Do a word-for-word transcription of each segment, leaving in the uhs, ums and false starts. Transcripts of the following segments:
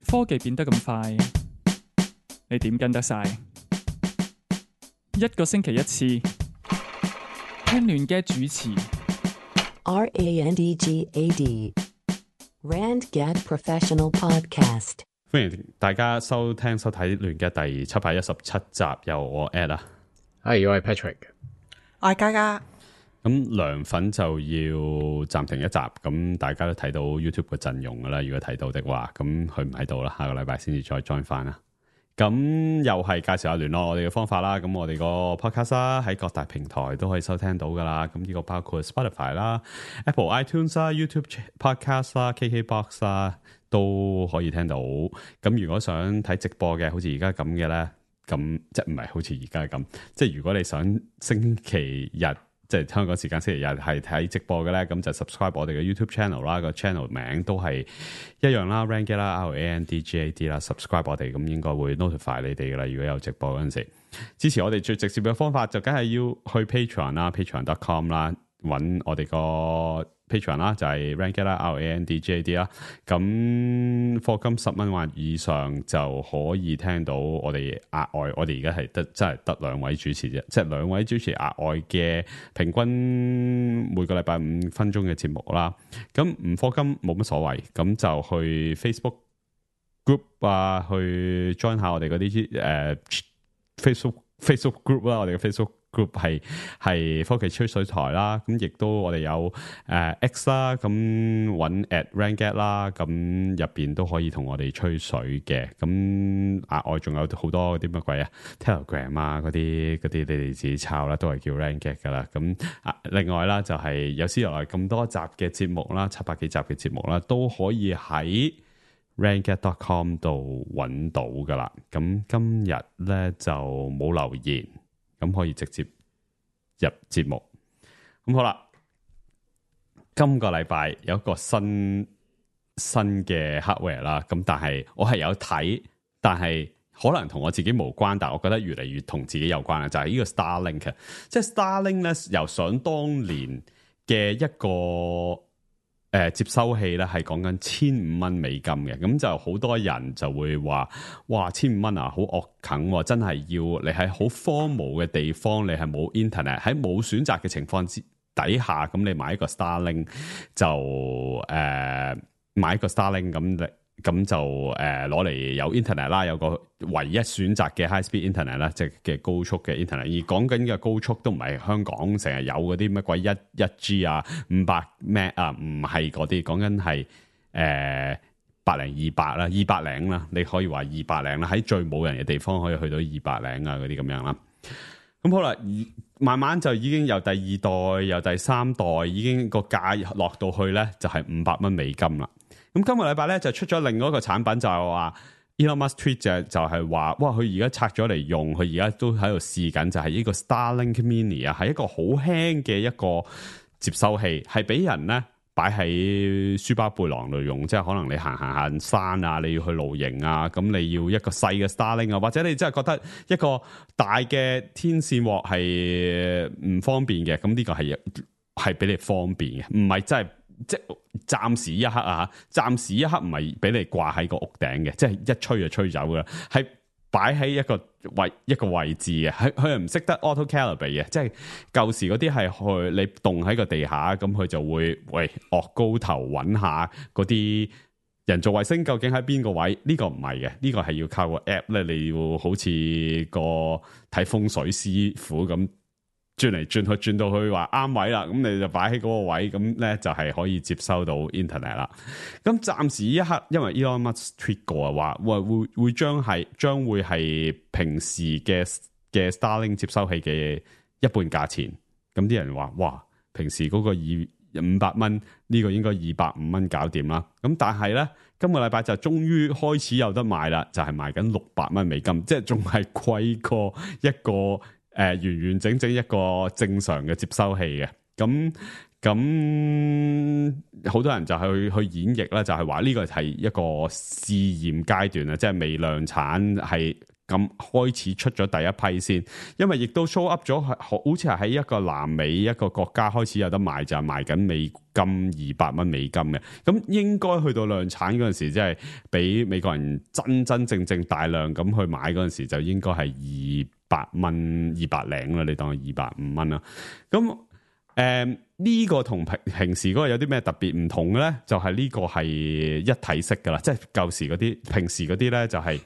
科技變得咁快，你點跟得晒？一個星期一次，聽亂嘅主持。R A N D G A D Rand Gad Professional Podcast。歡迎大家收聽收睇亂嘅第七百一十七集，由我 Ed 啊，係我係 Patrick，我係嘉嘉。咁涼粉就要暫停一集，咁大家都睇到 YouTube 嘅陣容噶啦，如果睇到的話，咁佢唔喺度啦，下個禮拜先至再 join 翻啦。咁又係介紹下聯絡我哋嘅方法啦，咁我哋個 podcast 啦喺各大平台都可以收聽到噶啦，咁呢個包括 Spotify 啦、Apple iTunes 啦、YouTube Podcast 啦、K K Box 啦都可以聽到。咁如果想睇直播嘅，好似而家咁嘅咧，咁即係唔係好似而家咁，即係如果你想星期日。即係香港時間星期日係睇直播嘅咧，咁就 subscribe 我哋嘅 YouTube channel 啦，個 channel 名都係一樣啦 ，Randgad 啦 ，R A N D G A D 啦 ，subscribe 我哋咁應該會 notify 你哋噶啦。如果有直播嗰陣時，支持我哋最直接嘅方法就梗係要去 Patreon 啦 ，patreon dot com 啦，揾我哋個 Patreon 啦，就係 Randgad 啦 ，R A N D G A D 啦。咁課金十蚊或以上就可以聽到我哋額外，我哋而家係得真係得兩位主持啫，即係兩位主持額外嘅平均每個禮拜五分鐘嘅節目啦。咁唔課金冇乜所謂，咁就去 Facebook group 啊，去 join 下我哋嗰啲誒 Facebook Facebook group 啦，我哋嘅 Facebook group 係係科技吹水台啦，咁亦都我哋有誒、呃、X 啦，咁揾 at Randgad 啦，咁入邊都可以同我哋吹水嘅，咁額外仲有好多啲乜鬼啊 Telegram 啊嗰啲嗰啲你哋自己抄啦，都係叫 Randgad 噶啦，咁啊另外啦就係、是、有史以來咁多集嘅節目啦，七百幾集嘅節目啦，都可以喺Randgad dot com 度揾到噶啦，咁今日咧就冇留言。咁可以直接入節目，咁好啦。今個禮拜有一個新新嘅 hardware 啦，咁但係我係有睇，但係可能同我自己無關，但係我覺得越嚟越同自己有關啦，就係、是、呢個 Starlink。即係 Starlink 咧，由想當年嘅一個。誒、呃，接收器咧係講緊千五蚊美金嘅，咁就好多人就會話，哇，千五蚊啊，好惡啃、哦，真係要你喺好荒蕪嘅地方，你係冇 internet，喺冇選擇嘅情況之底下，咁你買一個 Starlink 就誒、呃、買一個 Starlink 咁，咁就誒攞嚟有 internet 啦，有個唯一選擇嘅 high speed internet 啦，即係嘅高速嘅 internet。而講緊嘅高速都唔係香港成日有嗰啲乜鬼一一 G 啊、五百 Mbps 啊，唔係嗰啲，講緊係誒百零二百啦，二百零啦，你可以話二百零啦，喺最冇人嘅地方可以去到二百零啊嗰啲咁樣啦。咁好啦，慢慢就已經由第二代、由第三代已經個價落到去咧，就係五百蚊美金啦。咁今個禮拜咧就出咗另外一個產品，就係話 Elon Musk tweet 就就係話，哇！佢而家拆咗嚟用，佢而家都喺度試緊，就係呢個 Starlink Mini 啊，係一個好輕嘅一個接收器，係俾人咧擺喺書包背囊度用，即係可能你行行行山啊，你要去露營啊，咁你要一個細嘅 Starlink 啊，或者你真係覺得一個大嘅天線鑊係唔方便嘅，咁呢個係係俾你方便嘅，唔係真係。即係暫時一刻啊，暫時一刻唔係俾你掛喺個屋頂嘅，即係一吹就吹走噶啦，係擺喺一個位一個位置嘅，佢佢係唔識得 auto calibrate 嘅，即係舊時嗰啲係去你棟喺個地下，咁佢就會喂惡高頭揾下嗰啲人造衛星究竟喺邊個位？呢個唔係嘅，呢個係要靠個 app 咧，你要好似個睇風水師傅咁。轉嚟轉去轉到去話啱位啦，咁你就擺喺嗰個位，咁咧就係可以接收到 internet 啦。咁暫時一刻，因為 Elon Musk tweet 過啊，話會會會將係將會係平時嘅嘅 Starlink 接收器嘅一半價錢。咁啲人話哇，平時嗰個二五百蚊呢個應該二百五蚊搞掂啦。咁但係咧，今個禮拜就終於開始有得賣啦，就係、是、賣緊六百蚊美金，即係仲係貴過一個。誒、呃，完完整整一個正常嘅接收器嘅，咁咁好多人就去去演繹啦，就係話呢個係一個試驗階段啊，即係未量產，係咁開始出咗第一批先，因為亦都 show up 咗，好似係喺一個南美一個國家開始有得賣，就係賣緊美金二百蚊美金嘅。咁應該去到量產嗰陣時，即係俾美國人真真正正大量咁去買嗰陣時，就應該係二百蚊二百零啦，你當係二百五蚊啦。咁誒呢個同平平時嗰個有啲咩特別唔同嘅咧？就係、是、呢個係一體式噶啦，即係舊時嗰啲平時嗰啲咧就係、是。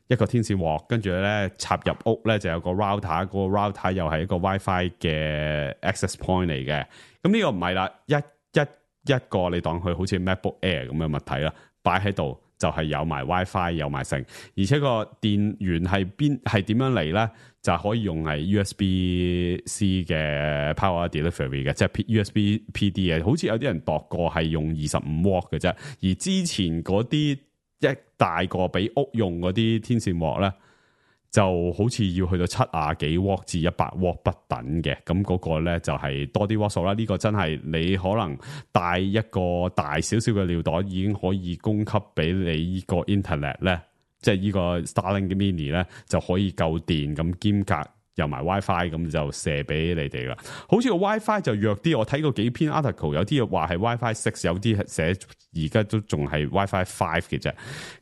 一個天線鑊，跟住咧插入屋咧就有個 router，個 router 又係一個 WiFi 嘅 access point 嚟嘅。咁呢個唔係啦，一一一個你當佢好似 MacBook Air 咁嘅物體啦，擺喺度就係有埋 WiFi 有埋成，而且個電源係邊係點樣嚟咧？就可以用係 U S B C 嘅 power delivery 嘅，即係 U S B P D 嘅。好似有啲人度過係用二十五瓦嘅啫，而之前嗰啲。一大個俾屋用嗰啲天線鑊咧，就好似要去到七啊幾瓦至一百瓦不等嘅，咁嗰個咧就係多啲瓦數啦。呢、這個真係你可能帶一個大少少嘅尿袋，已經可以供給俾你呢個 internet 咧，即係呢個 Starlink Mini 咧就可以夠電，咁兼隔有埋 WiFi， 咁就射俾你哋啦。好似個 WiFi 就弱啲，我睇過幾篇 article， 有啲話係 WiFi six， 有啲寫而家都仲係 WiFi five 嘅啫。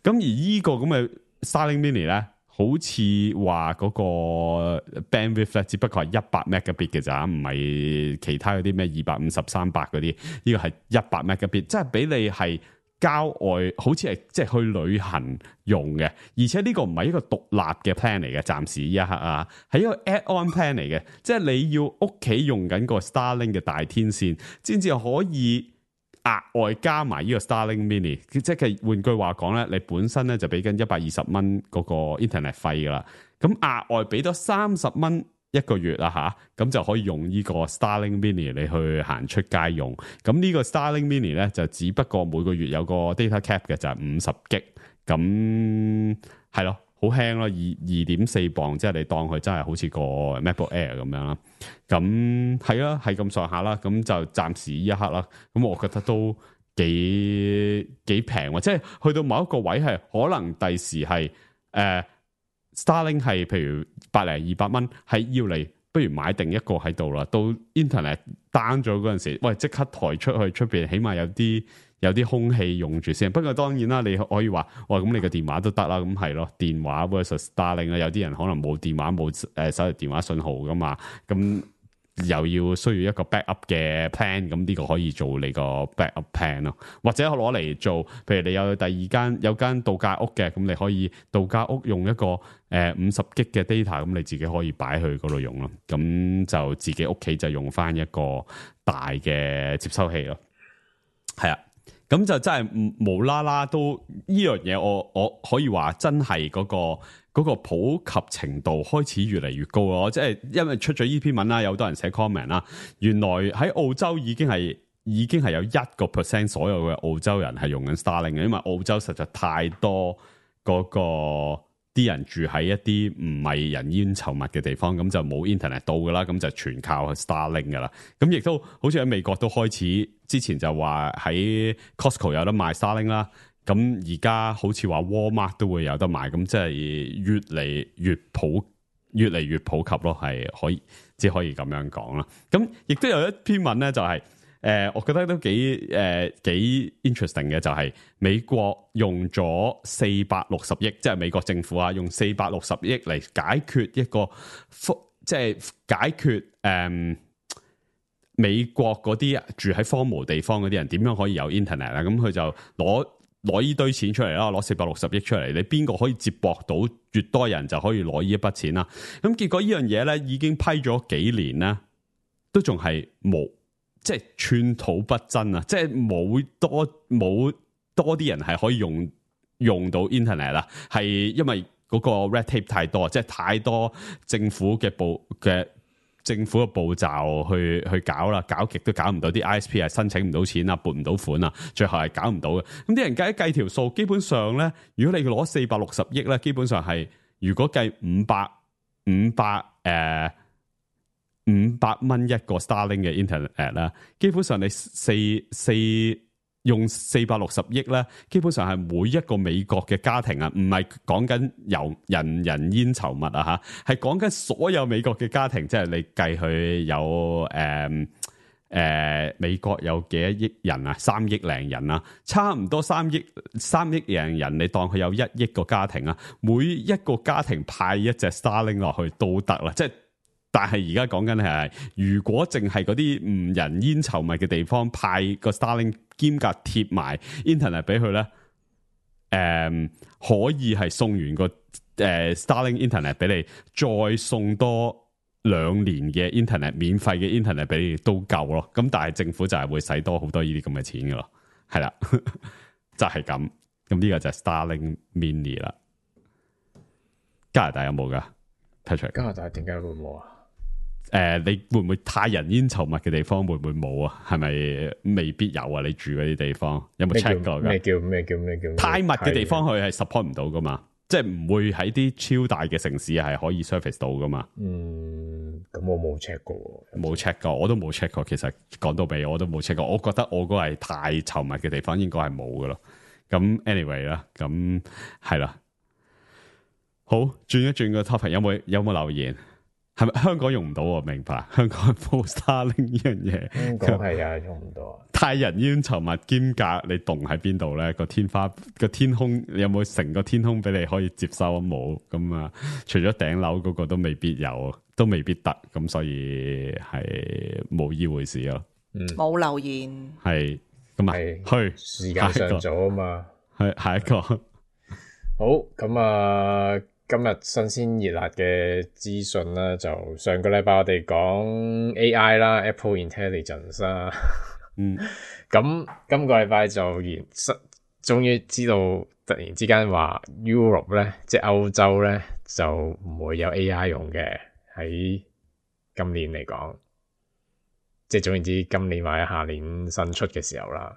咁而呢個咁嘅 Starlink Mini 咧，好似話嗰個 bandwidth 咧，只不過係一百 megabit 嘅咋，唔係其他嗰啲咩二百五十、三百嗰啲。呢個係一百 megabit，即係俾你係。郊外好似係即係去旅行用嘅，而且呢個唔係一個獨立嘅 plan 嚟嘅，暫時呢一刻啊，係一個 add-on plan 嚟嘅，即係你要屋企用緊個 Starlink 嘅大天線，先至可以額外加埋呢個 Starlink Mini。即係換句話講咧，你本身咧就俾緊一百二十蚊嗰個 internet 費噶啦，咁額外俾多三十蚊。一個月啊吓，咁就可以用呢個 Starlink Mini 你去行出街用。咁呢個 Starlink Mini 咧就只不過每個月有個 data cap 嘅，就係五十 G。咁係咯，好輕咯，二二點四磅，即係你當佢真係好似個 MacBook Air 咁樣啦。咁係啊，係咁上下啦。咁就暫時呢一刻啦。咁我覺得都幾幾平喎，即係去到某一個位係可能第時係誒。呃Starlink 係譬如百零二百蚊，係要嚟，不如買定一個喺度啦。到 Internet down 咗嗰陣時，喂，即刻抬出去出邊，起碼有啲有啲空氣用住先。不過當然啦，你可以話，哇，咁你個電話都得啦，咁係咯，電話 versus Starlink 啊，有啲人可能冇電話冇誒手提電話信號噶嘛，咁又要需要一個 backup 嘅 plan， 咁呢個可以做你個 backup plan 咯，或者攞嚟做，譬如你有第二間有間度假屋嘅，咁你可以度假屋用一個誒五十 G 嘅 data， 咁你自己可以擺去嗰度用咯，咁就自己屋企就用翻一個大嘅接收器咯，係啊，咁就真係無啦啦都呢樣嘢，我我可以話真係嗰個。嗰個普及程度開始越嚟越高咯，即係因為出咗呢篇文啦，有好多人寫 comment 啦。原來喺澳洲已經係已經係有一個 percent 所有嘅澳洲人係用緊 Starlink 嘅，因為澳洲實在太多嗰個啲人住喺一啲唔係人煙稠密嘅地方，咁就冇 internet 到噶啦，咁就全靠 Starlink 噶啦。咁亦都好似喺美國都開始，之前就話喺 Costco 有得賣 Starlink 啦。咁而家好似話 Walmart 都會有得賣，咁即係越嚟越普，越嚟越普及咯，係可以，只可以咁樣講啦。咁亦都有一篇文咧，就係、是、誒、呃，我覺得都幾誒、呃、幾 interesting 嘅，就係美國用咗四百六十億，即係美國政府啊，用四百六十億嚟解決一個，即係解決誒、呃、美國嗰啲住喺荒蕪地方嗰啲人點樣可以有 internet 啊？咁佢就攞。攞呢堆錢出嚟啦，攞四百六十億出嚟，你邊個可以接駁到越多人就可以攞呢一筆錢啦？咁結果呢樣嘢咧已經批咗幾年啦，都仲係冇，即係寸土不真啊！即係冇多冇多啲人係可以用用到 internet 啦，係因為嗰個 red tape 太多，即係太多政府嘅部嘅。政府嘅步驟去去搞啦，搞極都搞唔到，啲 I S P 係申請唔到錢啊，撥唔到款啊，最後係搞唔到嘅。咁啲人計一計條數，基本上咧，如果你攞四百六十億咧，基本上係如果計五百五百誒五百蚊一個 Starlink 嘅 internet 啦，基本上你四四用四百六十億咧，基本上係每一個美國嘅家庭啊，唔係講緊由人人煙稠密啊吓，係講緊所有美國嘅家庭，即係你計佢有誒誒、呃呃、美國有幾多億人啊？三億零人啊，差唔多三億三億零人，你當佢有一億個家庭啊，每一個家庭派一隻 Starlink 落去都得啦，即係。但係而家講緊係，如果淨係嗰啲唔人煙稠密嘅地方派個 Starlink 兼夾貼埋 Internet 俾佢咧，誒、嗯、可以係送完個誒、呃、Starlink Internet 俾你，再送多兩年嘅 Internet 免費嘅 Internet 俾你都夠咯。咁但係政府就係會使多好多呢啲咁嘅錢噶咯，係啦，就係咁。咁呢個就係 Starlink Mini 啦。加拿大有冇噶 Patrick？ 加拿大點解會冇啊？誒、呃，你會唔會太人煙稠密嘅地方會唔會冇啊？係咪未必有啊？你住嗰啲地方有冇 check 過噶？咩叫咩叫咩叫，叫？太密嘅地方佢係 support 唔到噶嘛？即係唔會喺啲超大嘅城市係可以 service 到噶嘛？嗯，咁我冇 check 過，冇 check 過，我都冇 check 過。其實講到尾我都冇 check 過。我覺得我嗰個係太稠密嘅地方應該係冇噶咯。咁 anyway 啦，咁係啦。好，轉一轉個 topic，有冇有冇留言？係咪香港用唔到？我明白，香港冇 Starlink 呢樣嘢。香港係啊，用唔到啊。太人煙稠密兼隔，你棟喺邊度咧？個天花個天空有冇成個天空俾你可以接收？冇咁啊？除咗頂樓嗰個都未必有，都未必得。咁所以係冇依回事咯。嗯，冇留言。係咁啊，去時間上早啊嘛。係下一個。好，咁啊。今日新鮮熱辣嘅資訊啦，就上個禮拜我哋講 A I 啦 ，Apple Intelligence 啦，嗯，咁今個禮拜就完，終於知道突然之間話 Europe 咧，即係歐洲咧就唔會有 A I 用嘅，喺今年嚟講，即係總言之，今年或者下年新出嘅時候啦。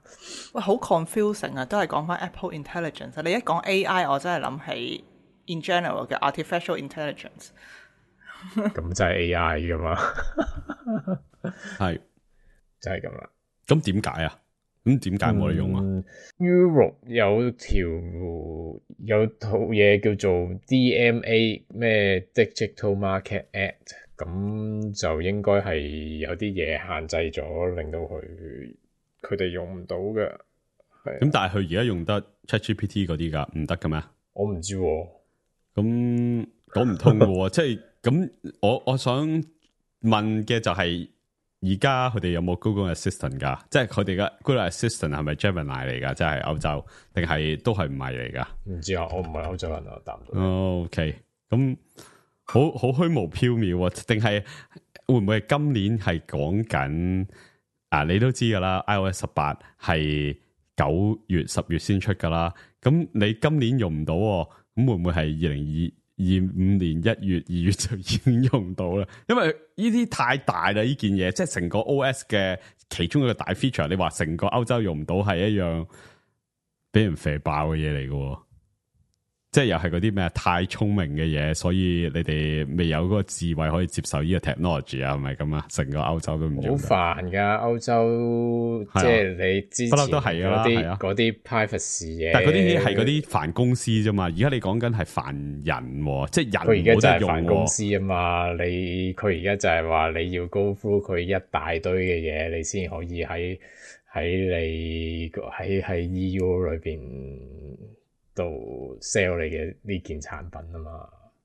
喂，好 confusing 啊，都係講翻 Apple Intelligence。你一講 A I， 我真係諗起。In general 嘅 artificial intelligence，咁就係 A I 噶嘛，係就係咁啦。咁點解啊？咁點解冇得用啊、嗯、？Europe 有條有套嘢叫做 D M A 咩 Digital Market Act， 咁就應該係有啲嘢限制咗，令到佢佢哋用唔到嘅。咁但係佢而家用得 ChatGPT 嗰啲噶，唔得嘅咩？我唔知、啊。咁講唔通嘅，即係咁，我我想問嘅就係，而家佢哋有冇 Google Assistant 噶？即係佢哋嘅 Google Assistant 係咪 Gemini 嚟噶？即係歐洲，定係都係唔係嚟噶？唔知啊，我唔係歐洲人啊，答唔到。哦、OK，咁好好虛無縹緲啊？定係會唔會係今年係講緊啊？你都知噶啦 ，iOS 十八係九月、十月先出噶啦。咁你今年用唔到、啊？咁會唔會係二零二五年一月、二月就已經用到啦？因為呢啲太大啦，呢件嘢即係成個 O S 嘅其中一個大 feature。你話成個歐洲用唔到係一樣俾人肥爆嘅嘢嚟嘅，即係又係嗰啲咩太聰明嘅嘢，所以你哋未有嗰個智慧可以接受呢個 technology 啊？係咪咁啊？成個歐洲都唔用。好煩噶，歐洲、啊、即係你之前都係嗰啲嗰啲 privacy 嘢，但係嗰啲係嗰啲煩公司啫嘛。而家你講緊係煩人，即係人佢而家就係煩公司啊嘛。你佢而家就係話你要 go through 佢一大堆嘅嘢，你先可以喺喺你喺喺 E U 裏邊度 sell 你嘅呢件產品啊嘛。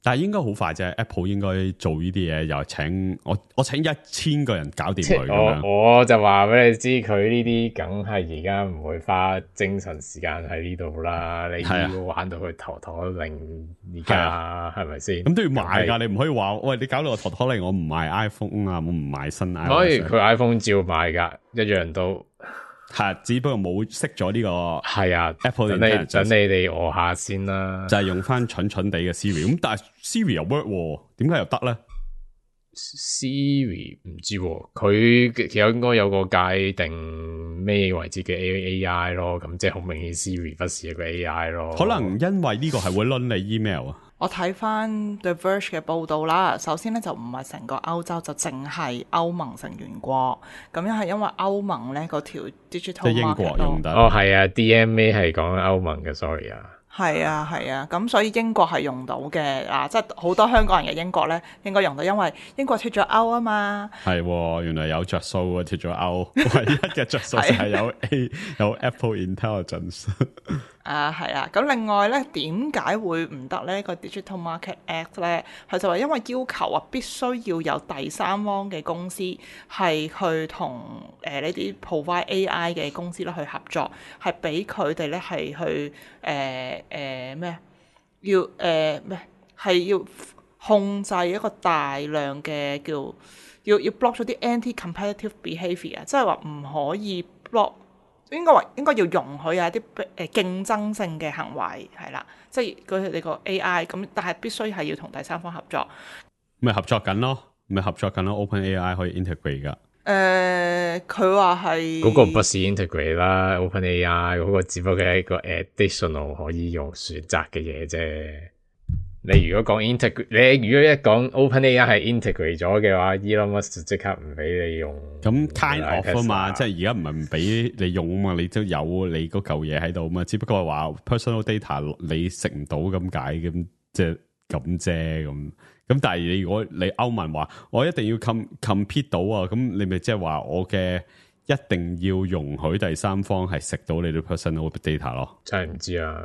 但係應該好快啫 ，Apple 應該做呢啲嘢，又請我我請一千個人搞掂佢咁樣。我我就話俾你知，佢呢啲梗係而家唔會花精神時間喺呢度啦。你要玩到佢陀陀令，而家係咪先？咁都要買噶，你唔可以話喂，你搞到我陀陀令，我唔買 iPhone 啊，我唔買新 iPhone。可以，佢 iPhone 照買噶，一樣都。係，只不過冇識咗呢個係啊 Apple 等你等你哋餓下先啦，就係用翻蠢蠢地嘅 Siri， 咁但係 Siri 又 work，點解又得咧？ Siri 唔知喎，佢其實應該有個界定咩為之嘅 A I 咯，咁即係好明顯 Siri 不是一個 A I 咯。可能因為呢個係會輪你 email 啊。我睇翻 The Verge 嘅報道啦，首先咧就唔係成個歐洲，就淨係歐盟成員國。咁樣係因為歐盟咧嗰條 digital market 即係英國用得。哦，係啊 ，D M A 係講歐盟嘅 ，sorry 啊。係啊係啊，咁所以英國係用到嘅啊，即係好多香港人嘅英國咧應該用到，因為英國脫咗歐啊嘛。係、哦，原來有着數啊，脫咗歐，唯一嘅着數就係有 A 有 Apple Intelligence。啊，係啊，咁另外咧，點解會唔得呢？個 Digital Market Act 咧，佢就話因為要求啊，必須要有第三方嘅公司係去同誒呢啲 provide A I 嘅公司咧去合作，係俾佢哋咧係去誒誒咩？要誒咩？係要控制一個大量嘅叫要要 block 咗啲 anti-competitive behaviour，即係話唔可以 block。應該話應該要容許有一啲誒競爭性嘅行為係啦，即係佢哋個 A I 咁，但係必須係要同第三方合作。咪合作緊咯，咪合作緊咯 ，OpenAI 可以 integrate 噶。誒，佢話係嗰個不是 integrate 啦 ，OpenAI 嗰個只不過係一個 additional 可以用選擇嘅嘢啫。你如果講 integrate，你如果一講 OpenAI 係 integrate 咗嘅話 ，Elon Musk 就即刻唔俾你用。咁 kind of 啊嘛，即係而家唔係唔俾你用啊嘛，你都有你嗰嚿嘢喺度啊嘛，只不過係話 personal data 你食唔到咁解咁，即係咁啫咁。咁但係你如果你歐盟話我一定要 com compete 到啊，咁你咪即係話我嘅一定要容許第三方係食到你啲 personal data 咯。真係唔知啊。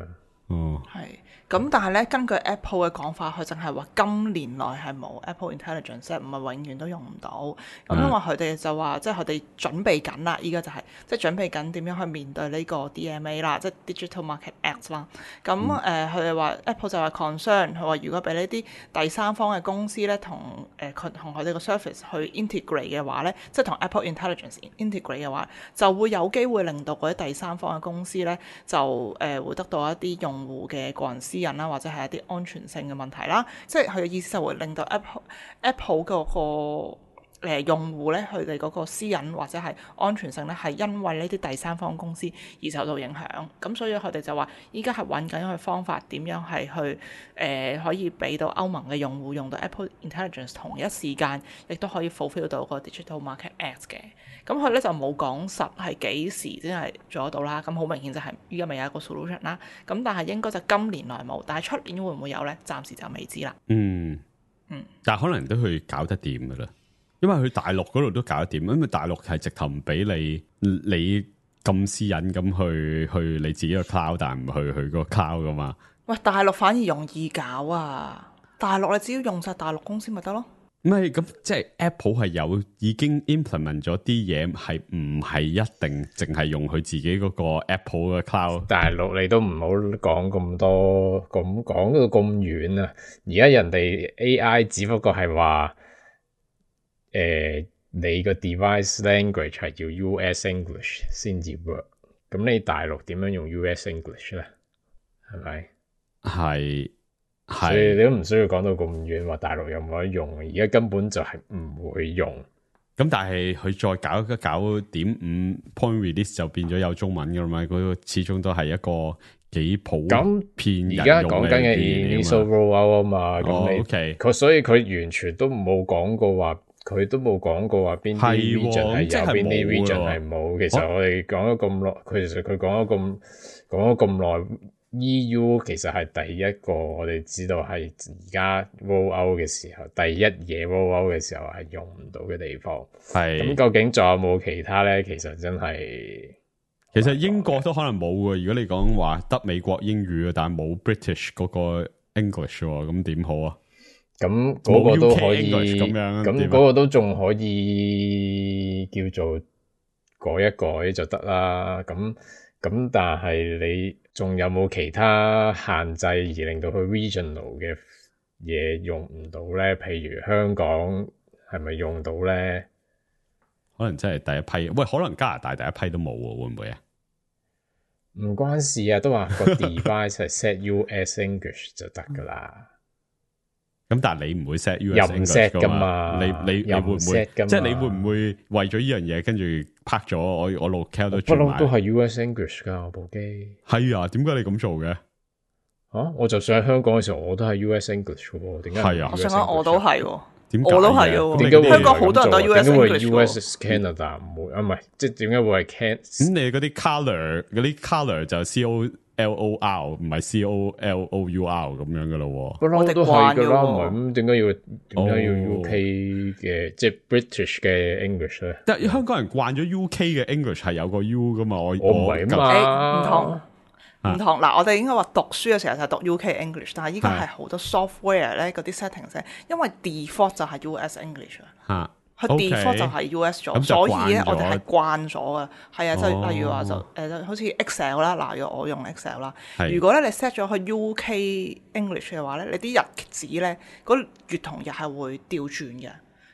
哦，係。咁但係咧，根據 Apple 嘅講法，佢淨係話今年內係冇 Apple Intelligence，唔係永遠都用唔到。咁因為佢哋就話，即係佢哋準備緊啦，依家就係、是、即係準備緊點樣去面對呢個 D M A 啦，即係 Digital Market Act 啦。咁誒，佢哋話 Apple 就話 concern，佢話如果俾呢啲第三方嘅公司咧，同誒佢同佢哋個 service 去 integrate 嘅話咧，即係同 Apple Intelligence integrate 嘅話，就會有機會令到嗰啲第三方嘅公司咧，就誒、呃、會得到一啲用戶嘅個人私隱啦，或者係一啲安全性嘅問題啦，即係佢嘅意思就會令到 Apple Apple 嗰個誒用戶咧，佢哋嗰個私隱或者係安全性咧，係因為呢啲第三方公司而受到影響。咁所以佢哋就話，依家係揾緊一個方法，點樣係去誒、呃、可以俾到歐盟嘅用戶用到 Apple Intelligence 同一時間，亦都可以 fulfill 到個 Digital Market Act 嘅。咁佢咧就冇講實係幾時先係做得到啦。咁好明顯就係依家未有一個 solution 啦。咁但係應該就今年內冇，但係出年會唔會有咧？暫時就未知啦。嗯嗯，但係可能都去搞得掂噶啦。因為佢大陸嗰度都搞得掂，因為大陸係直頭唔俾你你咁私隱咁去去你自己個 cloud，但係唔去去個 cloud 噶嘛。喂，大陸反而容易搞啊！大陸你只要用晒大陸公司咪得咯。唔係咁，即係 Apple 係有已經 implement 咗啲嘢，係唔係一定淨係用佢自己嗰個 Apple 嘅 cloud？大陸你都唔好講咁多，咁講到咁遠啊！而家人哋 A I 只不過係話。誒、呃，你個 device language 係要 U S English 先至 work，咁你大陸點樣用 U S English 咧？係咪？係，所以你都唔需要講到咁遠，話大陸有冇得用，而家根本就係唔會用。咁但係佢再搞一搞點五 point release 就變咗有中文噶啦嘛，嗰個始終都係一個幾普遍人用嘅。而家講緊嘅 initial rollout 啊嘛，咁、哦、你佢、okay. 所以佢完全都冇講過話。佢都冇講過話邊啲 region 係有，邊啲 region 係冇。其實我哋講咗咁耐，佢其實佢講咗咁講咗咁耐 ，E U 其實係第一個我哋知道係而家 roll out 嘅時候，第一嘢 roll out 嘅時候係用唔到嘅地方。係咁，究竟仲有冇其他咧？其實真係，其實英國都可能冇嘅。如果你講話得美國英語，但係冇 British 嗰個 English 喎，咁點好啊？咁嗰個都可以，咁樣咁嗰個都仲可以叫做改一改就得啦。咁咁但係你仲有冇其他限制而令到佢 regional 嘅嘢用唔到咧？譬如香港係咪用到咧？可能真係第一批，喂，可能加拿大第一批都冇喎，會唔會啊？唔關事啊，都話個 device 係 set U S English 就得噶啦。咁但係你唔會 set U 又 S 唔 English set 噶噶嘛？你你你會唔會？即係你會唔會為咗呢樣嘢跟住拍咗我我 locale 都轉埋？不嬲都係 U S English 噶我部機。係啊，點解你咁做嘅？啊！我就上香港嘅時候，我都係 U S English 喎。點解？係啊，我想講我都係喎。點我都係嘅，點解會香港好多人都 U S English 喎？點解會 U S Canada 唔會啊？唔係，即係點解會係 Can？咁你嗰啲 colour 嗰啲 colour 就 C O L O R 唔係 C O L O U R 咁樣噶咯？不嬲都係噶啦，唔係咁點解要點解要 U K 嘅即係 British 嘅 English 咧？但係香港人慣咗 U K 嘅 English 係有個 U 噶嘛？我我唔係啊嘛，唔同。唔同嗱，我哋應該話讀書嘅時候就係讀 U K English， 但係依家係好多 software 咧嗰啲 settings 咧，因為 default 就係 U S English 啊，佢 default 就係 U S 咗，所以咧我哋係慣咗嘅，係啊，即係例如話就誒好似 Excel 啦，嗱，如果我用 Excel 啦，如果咧你 set 咗去 U K English 嘅話咧，你啲日子咧嗰月同日係會調轉嘅。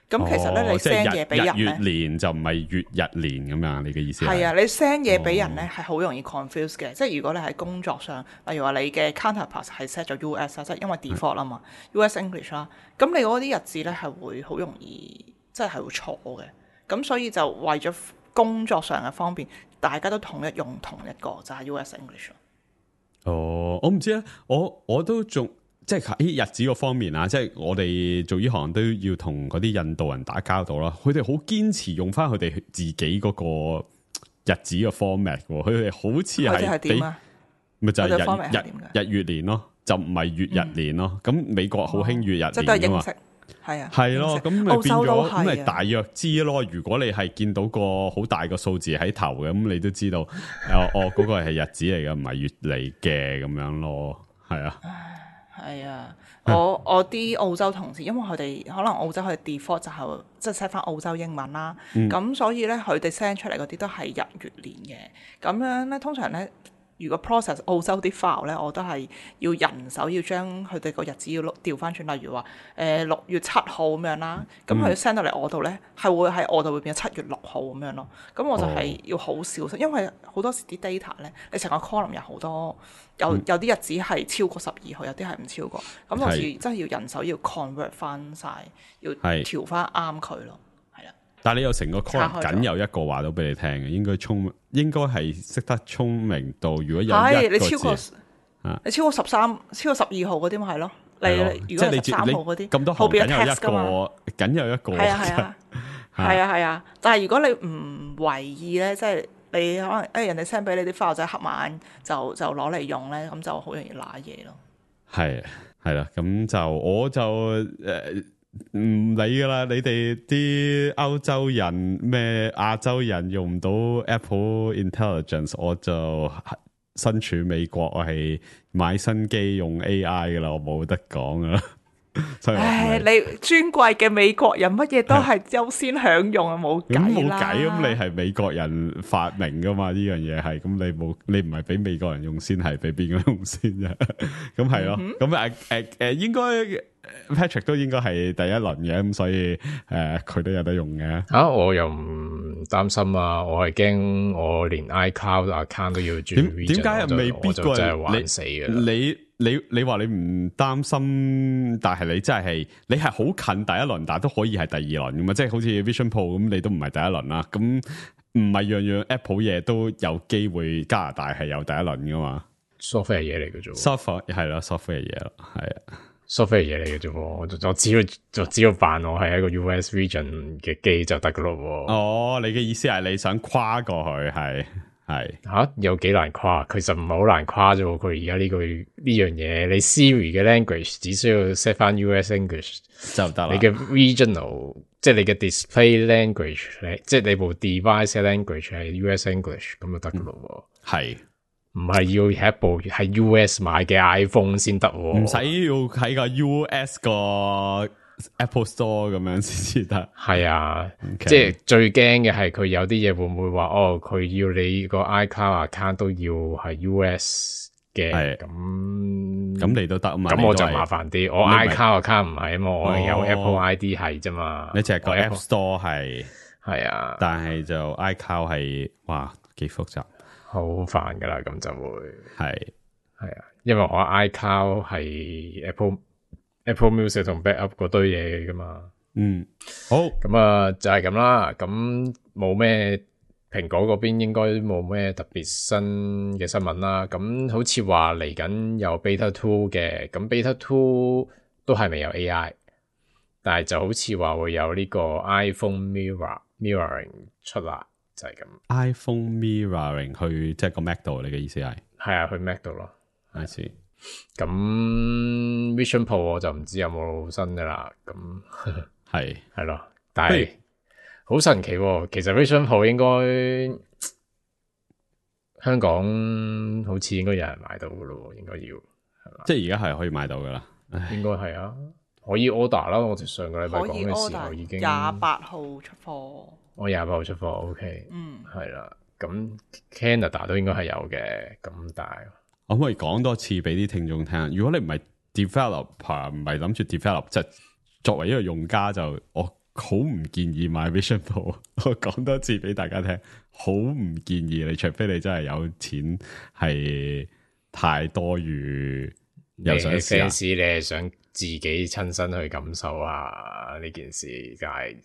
咁其實咧，你 send 嘢俾人咧，月年就唔係月日年咁樣，你嘅意思係？係啊，你 send 嘢俾人咧係好容易 confuse 嘅，即係如果你喺工作上，例如話你嘅 counterpart 係 set 咗 U S 啊，即係因為 default 啦嘛 ，U S English 啦，咁你嗰啲日子咧係會好容易，即係係會錯嘅。咁所以就為咗工作上嘅方便，大家都統一用同一個就係 U S English。哦，我唔知啊，我我都仲。即係喺日子個方面啊，即係我哋做呢行都要同嗰啲印度人打交道啦。佢哋好堅持用翻佢哋自己嗰個日子嘅 format，佢哋好似係俾咪就係日日日月年咯，就唔係月日年咯。咁、嗯、美國好興月日年㗎嘛，係啊，係咯，咁咪變咗咁咪大約知咯。如果你係見到個好大個數字喺頭嘅，咁你都知道哦哦嗰、嗰個係日子嚟嘅，唔係月嚟嘅咁樣咯，係啊。係啊，我我啲澳洲同事，因為佢哋可能澳洲佢哋 default 就係即係 set 翻澳洲英文啦，咁、嗯、所以咧佢哋 send 出嚟嗰啲都係日月年嘅，咁樣咧通常咧。如果 process 澳洲啲 file 咧，我都係要人手要將佢哋個日子要調翻轉，例如話誒六月七號咁樣啦，咁佢 send 到嚟我度咧，係會喺我度會變咗七月六號咁樣咯。咁我就係要好小心，因為好多時啲 data 咧，你成個 column 有好多有有啲日子係超過十二號，有啲係唔超過，咁到時真係要人手要 convert 翻晒，要調翻啱佢咯。但係你有成個 column 僅有一個話到俾你聽嘅，應該聰應該係識得聰明到，如果有一個字，你超過啊，你超過十三、超過十二號嗰啲咪係咯？你如果係十三號嗰啲，咁多後邊有 text 噶嘛？僅有一個，係啊係啊，係啊係啊。但係如果你唔為意咧，即係你可能誒人哋 send 俾你啲 file 仔黑晚就就攞嚟用咧，咁就好容易揦嘢咯。係係啦，咁就我就誒。唔理噶啦，你哋啲歐洲人咩亞洲人用唔到 Apple Intelligence， 我就身處美國，我係買新機用 A I 噶啦，我冇得講噶啦。唉，你尊貴嘅美國人，乜嘢都係優先享用啊，冇計啦。冇計，咁你係美國人發明噶嘛？呢樣嘢係，咁你冇，你唔係俾美國人用先，係俾邊個用先啫？咁係咯，咁誒誒誒，應該 Patrick 都應該係第一輪嘅，咁所以誒佢、呃、都有得用嘅。吓、啊，我又唔擔心啊，我係驚我連 iCloud account 都要轉。點點解又未必過？真係玩死嘅。你你你話你唔擔心，但係你真係你係好近第一輪，但係都可以係第二輪噶嘛？即係好似 Vision Pro 咁，你都唔係第一輪啦。咁唔係樣樣 Apple 嘢都有機會加拿大係有第一輪噶嘛 ？software 嘢嚟嘅啫 ，software 係咯 software 嘢咯，係啊 software 嘢嚟嘅啫。我就只要就只要扮我係一個 U S region 嘅機就得噶咯。哦，你嘅意思係你想跨過去係？係吓、啊、有幾難跨？其實唔係好難跨啫。佢而家呢句呢樣嘢，你 Siri 嘅 language 只需要 set 翻 U S English 就得啦。你嘅 regional 即係你嘅 display language，即係你部 device 嘅 language 係 U S English 咁就得噶咯。係唔係要係一部係 U S 買嘅 iPhone 先得？唔使要喺個 U S 個 Apple Store 咁樣先至得。係啊， okay. 即係最驚嘅係佢有啲嘢會唔會話哦，佢要你個 iCloud account 都要係 U S 嘅，咁咁你都得啊嘛。咁我就麻煩啲，我 iCloud account 唔係啊嘛，我有 Apple I D 係啫嘛。你淨係個 App Store 係係啊，但係就 iCloud 係哇幾複雜，好煩噶啦，咁就會係係啊，因為我 iCloud 係 Apple Apple Music 同 backup 嗰堆嘢噶嘛。嗯，好，咁啊就係咁啦。咁冇咩蘋果嗰邊應該冇咩特別新嘅新聞啦。咁好似話嚟緊有 Beta Two 嘅，咁 Beta Two 都係未有 A I， 但係就好似話會有呢個 iPhone Mirror Mirroring 出啦，就係咁。iPhone Mirroring 去即係個 Mac 度，你嘅意思係？係啊，去 Mac 度咯。I see。咁 Vision Pro 我就唔知有冇新㗎啦。咁係係咯，但係好神奇喎。其實 Vision Pro 應該香港好似應該有人買到㗎咯，應該要係嘛？即係而家係可以買到㗎啦。應該係啊，可以 order 啦。我哋上個禮拜講嘅時候已經廿八號出貨。我廿八號出貨 ，OK，嗯，係啦。咁 Canada 都應該係有嘅，咁但係可唔可以講多次俾啲聽眾聽？如果你唔係 developer，唔係諗住 develop，即係作為一個用家就我好唔建議買 Vision Pro。我講多次俾大家聽，好唔建議你，除非你真係有錢係太多餘，又想試下。fans 你係想自己親身去感受下呢件事，但係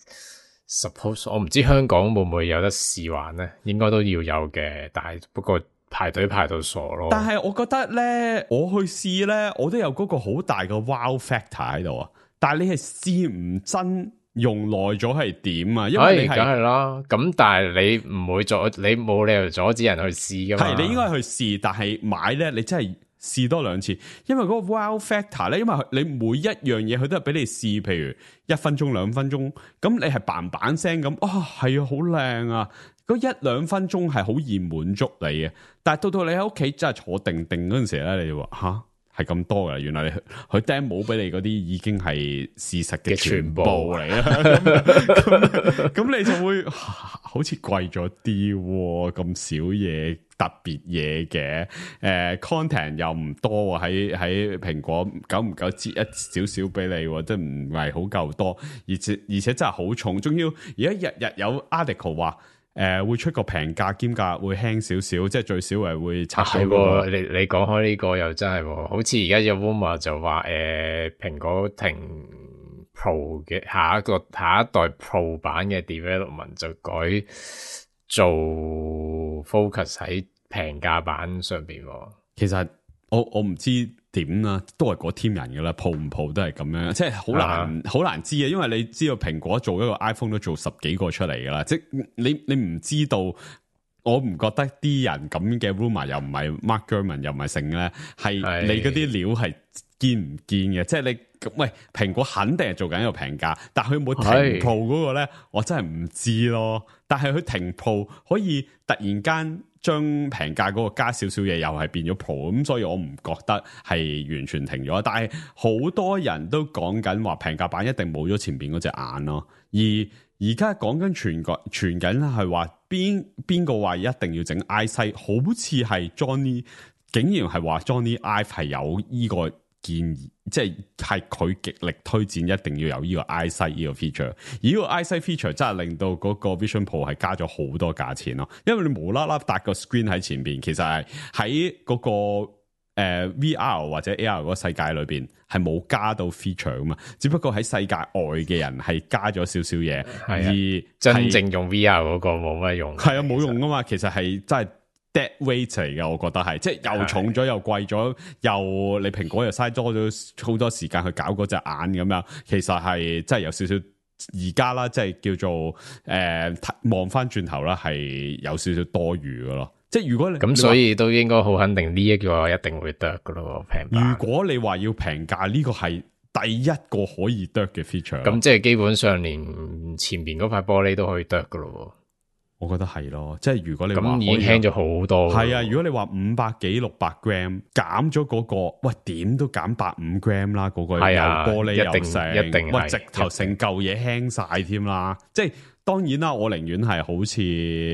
suppose 我唔知香港會唔會有得試玩咧，應該都要有嘅，但係不過排隊排到傻咯。但係我覺得咧，我去試咧，我都有嗰個好大嘅 wow factor 喺度啊！但係你係試唔真，用耐咗係點啊？因為你係梗係啦，咁但係你唔會阻，你冇理由阻止人去試噶嘛。係你應該去試，但係買咧，你真係試多兩次，因為嗰個 wow factor 咧，因為你每一樣嘢佢都係俾你試，譬如一分鐘、兩分鐘，咁你係嘭嘭聲咁，啊係啊，好靚啊！嗰一兩分鐘係好易滿足你嘅，但係到到你喺屋企真係坐定定嗰陣時咧，你就話吓係咁多噶啦，原來你佢 demo 俾你嗰啲已經係事實嘅全部嚟啦，咁咁你就會、啊、好似貴咗啲，咁少嘢特別嘢嘅，誒、呃、content 又唔多喺喺蘋果久唔久接一少少俾你，即係唔係好夠多，而且而且真係好重，仲要而家日日有 article 話。誒、呃，會出個平價兼價會輕少少，即係最少係會拆到、那個啊、你你講開呢個又真係，好似而家有 rumor 就話，誒、呃，蘋果停 Pro 嘅下一個下一代 Pro 版嘅 development 就改做 focus 喺平價版上邊。其實我我唔知點啦，都係嗰 team 人噶啦，鋪唔鋪都係咁樣，即係好難好、啊、難知啊！因為你知道蘋果做一個 iPhone 都做十幾個出嚟噶啦，即係你你唔知道，我唔覺得啲人咁嘅 rumor 又唔係 Mark Gurman 又唔係成咧，係你嗰啲料係堅唔堅嘅？即係你喂蘋果肯定係做緊一個平價，但係佢冇停 Pro 嗰個咧，我真係唔知咯。但係佢停 Pro 可以突然間。將平價嗰個加少少嘢又係變咗 Pro， 咁所以我唔覺得係完全停咗。但係好多人都講緊話平價版一定冇咗前邊嗰隻眼咯。而而家講緊傳個傳緊係話邊邊個話一定要整 iSight， 好似係 Johnny 竟然係話 Johnny Ive 係有呢個建議，即係係佢極力推薦一定要有呢個 iSight 呢個 feature，而呢個 iSight feature 真係令到嗰個 Vision Pro 係加咗好多價錢咯，因為你無啦啦搭個 screen 喺前邊，其實係喺嗰個誒、呃、V R 或者 A R 嗰個世界裏邊係冇加到 feature 噶嘛，只不過喺世界外嘅人係加咗少少嘢，而真正用 V R 嗰個冇乜用，係啊冇用噶嘛，其實係真係。dead weight 嚟嘅，我覺得係，即係又重咗又貴咗，又你蘋果又嘥多咗好多時間去搞嗰隻眼咁樣，其實係真係有少少而家啦，即係叫做誒望翻轉頭啦，係有少少多餘嘅咯。即係如果你咁，所以都應該好肯定呢一個一定會得嘅咯，平價。如果你話要平價，呢個係第一個可以得嘅 feature。咁即係基本上連前邊嗰塊玻璃都可以得嘅咯。我覺得係咯，即係如果你話咁已經輕咗好多，係啊！如果你話五百幾六百 gram 減咗嗰個，喂點都減百五 gram 啦，嗰、嗰個又玻璃又成，一定喂直頭成嚿嘢輕晒添啦！即係當然啦，我寧願係好似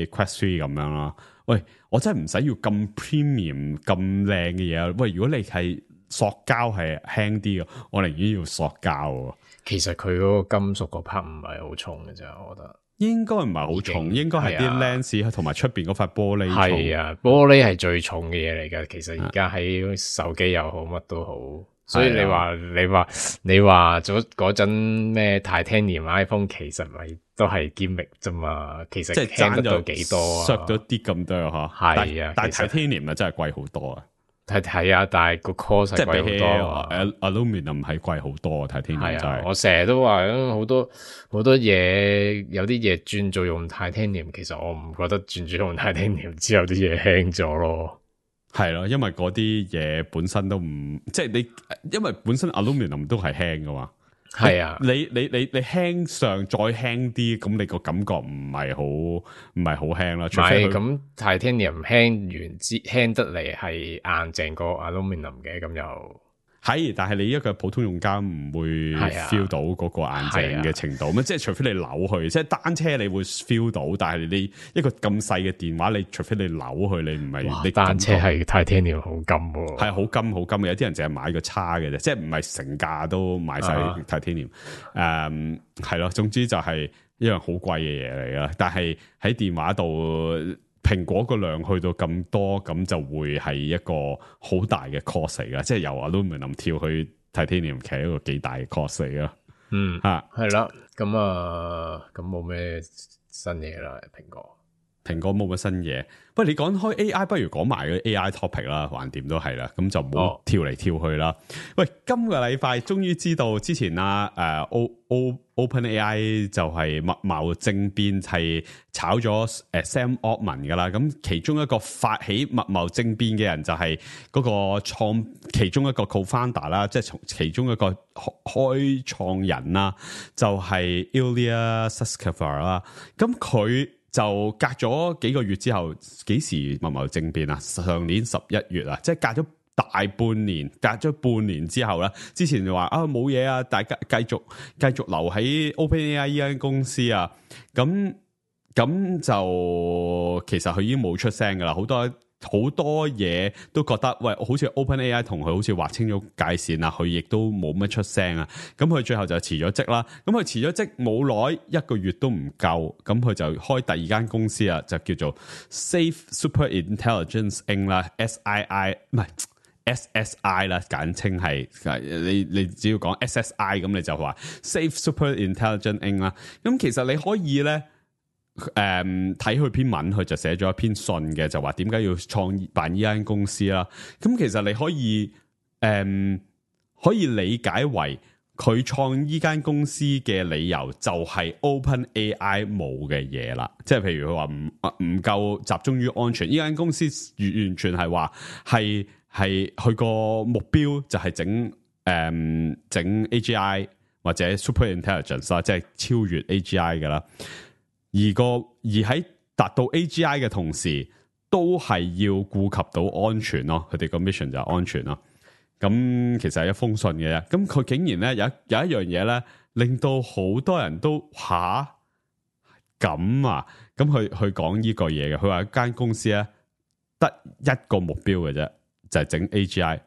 Quest three 咁樣啦。喂，我真係唔使要咁 premium 咁靚嘅嘢。喂，如果你係塑膠係輕啲嘅，我寧願要塑膠。其實佢嗰個金屬個 part 唔係好重嘅啫，我覺得。應該應該唔係好重，應該係啲 lens 同埋出邊嗰塊玻璃重。係啊，玻璃係最重嘅嘢嚟㗎。其實而家喺手機又好，乜都好，所以你話你話你話咗嗰陣咩 Titanium iPhone 其實咪都係 gimmick 啫嘛，其實即係爭得到幾多啊？削咗啲咁多嗬，係啊，但係 Titanium 啊真係貴好多啊！係係啊，但係個 cost 係貴好多啊 ，aluminium 係貴好多啊 ，Titanium 就係。我成日都話好多好多嘢，有啲嘢轉做用 Titanium， 其實我唔覺得轉做用 Titanium 之後啲嘢輕咗咯。係咯，因為嗰啲嘢本身都唔，即係你，因為本身 aluminium 都係輕噶嘛。係啊，你你你你輕上再輕啲，咁你個感覺唔係好唔係好輕啦。唔係咁 Titanium 輕完之輕得嚟係硬淨過 aluminium 嘅，咁又係，但係你一個普通用家唔會 feel 到嗰個硬淨嘅程度。咁、啊、即係除非你扭去，即係單車你會 feel 到，但係你一個咁細嘅電話，你除非你扭去，你唔係你單車係 Titanium 好金喎，係好金好金嘅。有啲人淨係買個叉嘅啫，即係唔係成價都買晒 Titanium。誒係咯，總之就係一樣好貴嘅嘢嚟啦。但係喺電話度，蘋果個量去到咁多，咁就會係一個好大嘅 cost 嚟噶，即係由 aluminium 跳去 titanium， 其實一個幾大嘅 cost 嚟噶。嗯，吓係啦，咁啊，咁冇咩新嘢啦，蘋果，蘋果冇乜新嘢。不過你講開 A I， 不如講埋嗰啲 A I topic 啦，橫掂都係啦，咁就唔好跳嚟跳去啦。哦、喂，今個禮拜終於知道之前啊，誒、呃、O O OpenAI 就係密謀政變，係炒咗誒 Sam Altman 噶啦。咁其中一個發起密謀政變嘅人就係嗰個創其中一個 co-founder 啦，即係從其中一個開創人啦，就係 Ilya Sutskever 啦。咁佢就隔咗幾個月之後，幾時密謀政變啊？上年十一月啊，即係隔咗大半年，隔咗半年之後啦。之前就話啊冇嘢啊，大家繼續繼續留喺 OpenAI 呢間公司啊。咁咁就其實佢已經冇出聲噶啦，好多。好多嘢都覺得喂，好似 OpenAI 同佢好似劃清咗界線啦，佢亦都冇乜出聲啊。咁佢最後就辭咗職啦。咁佢辭咗職冇耐，一個月都唔夠，咁佢就開第二間公司啊，就叫做 Safe Super Intelligence Incorporated 啦 ，S I I 唔係 S S I 啦，簡稱係你你只要講 S S I 咁你就話 Safe Super Intelligence Incorporated 啦。咁其實你可以咧。誒，睇佢篇文，佢就寫咗一篇信嘅，就話點解要創辦呢間公司啦。咁其實你可以誒、嗯，可以理解為佢創呢間公司嘅理由就係 OpenAI 冇嘅嘢啦。即係譬如佢話唔唔夠集中於安全，呢間公司完完全係話係係佢個目標就係整誒整 A G I 或者 Super Intelligence 啦，即係超越 A G I 噶啦。而個而喺達到 A G I 嘅同時，都係要顧及到安全咯。佢哋個 mission 就係安全咯。咁其實係一封信嘅啫。咁佢竟然咧有有一樣嘢咧，令到好多人都吓咁啊！咁佢佢講呢個嘢嘅，佢話間公司咧得一個目標嘅啫，就係、是、整 A G I，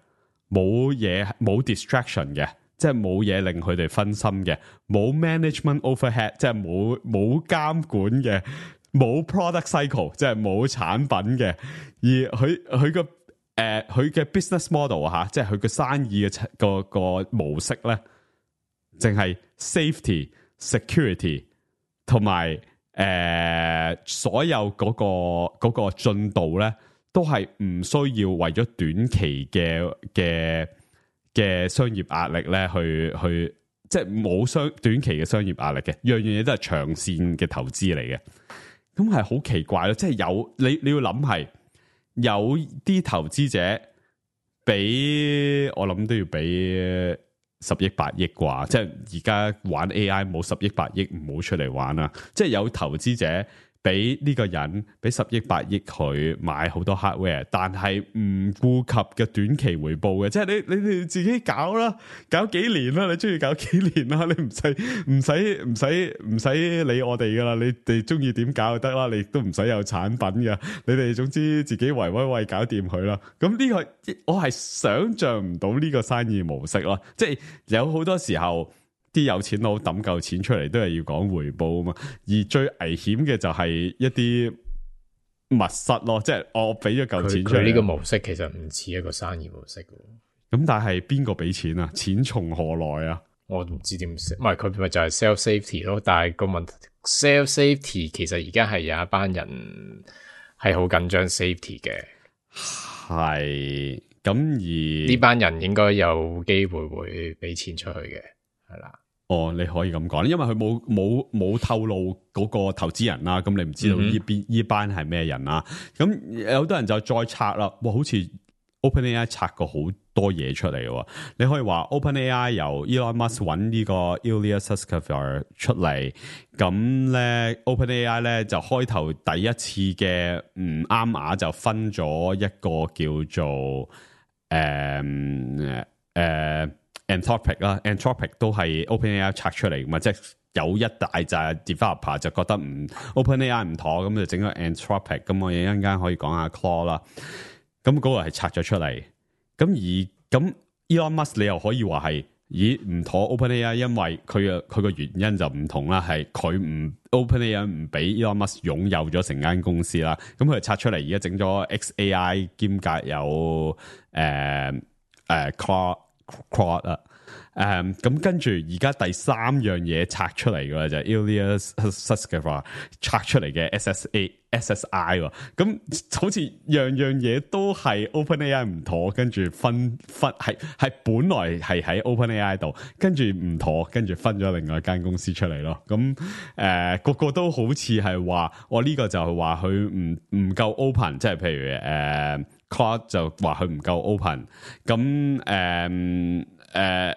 冇嘢冇 distraction 嘅。即係冇嘢令佢哋分心嘅，冇 management overhead， 即係冇冇監管嘅，冇 product cycle， 即係冇產品嘅。而佢佢個誒佢嘅 business model 吓，即係佢嘅生意嘅個個模式咧，淨係 safety、security 同埋誒所有嗰個嗰個進度咧，都係唔需要為咗短期嘅嘅。嘅商業壓力咧，去去即係冇商短期嘅商業壓力嘅，樣樣嘢都係長線嘅投資嚟嘅。咁係好奇怪咯，即係有你你要諗係有啲投資者俾我諗都要俾十億八億啩，即係而家玩 A I 冇十億八億唔好出嚟玩啦。即係有投資者。俾呢個人俾十億八億佢買好多 hardware， 但係唔顧及嘅短期回報嘅，即係你你哋自己搞啦，搞幾年啦，你中意搞幾年啦，你唔使唔使唔使唔使理我哋噶啦，你哋中意點搞就得啦，你都唔使有產品噶，你哋總之自己維維維搞掂佢啦。咁呢個我係想象唔到呢個生意模式咯，即係有好多時候。啲有錢佬抌夠錢出嚟都係要講回報啊嘛，而最危險嘅就係一啲密室咯，即係我俾咗夠錢出嚟。佢呢個模式其實唔似一個生意模式嘅，咁但係邊個俾錢啊？錢從何來啊？我唔知點，唔係佢咪就係 self safety 咯。但係個問題 self safety 其實而家係有一班人係好緊張 safety 嘅，係咁而呢班人應該有機會會俾錢出去嘅，係啦。哦，你可以咁講，因為佢冇冇冇透露嗰個投資人啦，咁你唔知道呢邊呢班係咩人啦。咁有好多人就再拆啦，哇，好似 OpenAI 拆過好多嘢出嚟喎。你可以話 OpenAI 由 Elon Musk 揾呢個 Ilya Sutskever 出嚟，咁咧 OpenAI 咧就開頭第一次嘅唔啱碼就分咗一個叫做誒誒。呃呃 Anthropic 啦 ，Anthropic 都係 OpenAI 拆出嚟噶嘛，即係有一大紮 developer 就覺得唔 OpenAI 唔妥，咁就整個 Anthropic，咁我一陣間可以講下 Claude 啦。咁嗰個係拆咗出嚟，咁而咁 Elon Musk 你又可以話係，咦唔妥 OpenAI， 因為佢嘅佢個原因就唔同啦，係佢唔 OpenAI 唔俾 Elon Musk 擁有咗成間公司啦，咁佢就拆出嚟，而家整咗 X A I 兼夾有誒誒 Claude。Claude 啊，誒咁跟住而家第三樣嘢拆出嚟嘅就係 Ilya Sutskever 拆出嚟嘅 S S A S S I 喎，咁好似樣樣嘢都係 OpenAI 唔妥，跟住分分係係本來係喺 OpenAI 度，跟住唔妥，跟住分咗另外一間公司出嚟咯。咁誒、呃、個個都好似係話，我呢個就係話佢唔唔夠 open，即係譬如誒。呃Claude 就話佢唔夠 open， 咁誒誒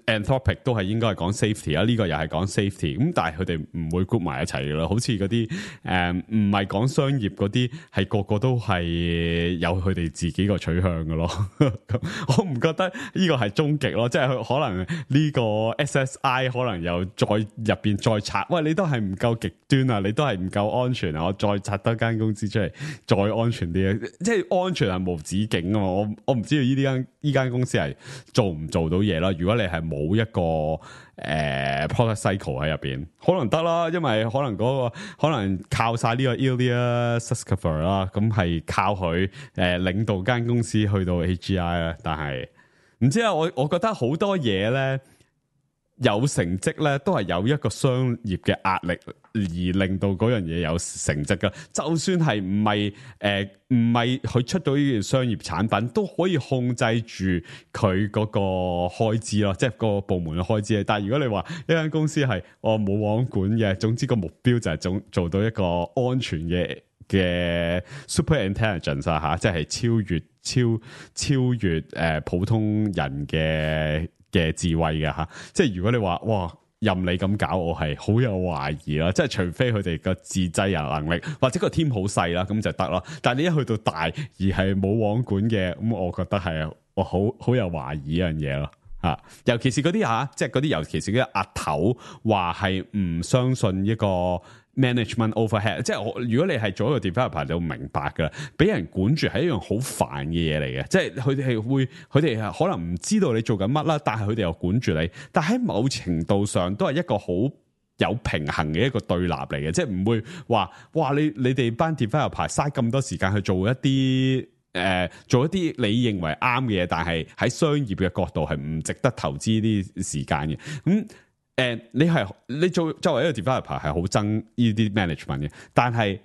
Anthropic 都係應該係講 safety 啦，呢個又係講 safety，咁但係佢哋唔會 group 埋一齊嘅咯，好似嗰啲誒唔係講商業嗰啲，係個個都係有佢哋自己個取向嘅咯。我唔覺得呢個係終極咯，即係可能呢個 S S I 可能又再入邊再拆，喂你都係唔夠極端啊，你都係唔夠安全啊，我再拆多間公司出嚟，再安全啲啊，即係安全係無止境啊嘛，我我唔知道呢啲間呢間公司係做唔做到嘢啦。如果你係冇一個誒、呃、product cycle 喺入邊，可能得啦，因為可能嗰、嗰個可能靠晒呢個 Ilya Sutskever 啦，咁係靠佢誒、呃、領導間公司去到 A G I 啦。但係唔知啊，我我覺得好多嘢咧有成績咧，都係有一個商業嘅壓力而令到嗰樣嘢有成績噶。就算係唔係誒唔係佢出到呢件商業產品，都可以控制住佢嗰個開支咯，即係個部門嘅開支。但係如果你話一間公司係我冇網管嘅，總之個目標就係做做到一個安全嘅嘅 super intelligence 啊吓，即係超越超超越誒、呃、普通人嘅嘅智慧嘅吓，即係如果你話哇任你咁搞，我係好有懷疑啦。即係除非佢哋個自制人能力或者個 team 好細啦，咁就得咯。但係你一去到大而係冇網管嘅，咁我覺得係我好好有懷疑一樣嘢咯吓。尤其是嗰啲吓，即係嗰啲尤其是嗰啲阿頭話係唔相信一個 management overhead， 即係我如果你係做一個 developer，你就明白噶啦，俾人管住係一樣好煩嘅嘢嚟嘅，即係佢哋係會，佢哋係可能唔知道你做緊乜啦，但係佢哋又管住你，但係喺某程度上都係一個好有平衡嘅一個對立嚟嘅，即係唔會話哇你你哋班 developer 嘥咁多時間去做一啲誒、呃、做一啲你認為啱嘅嘢，但係喺商業嘅角度係唔值得投資啲時間嘅咁。嗯誒、呃，你係你做作為一個 developer 係好憎呢啲 management 嘅，但係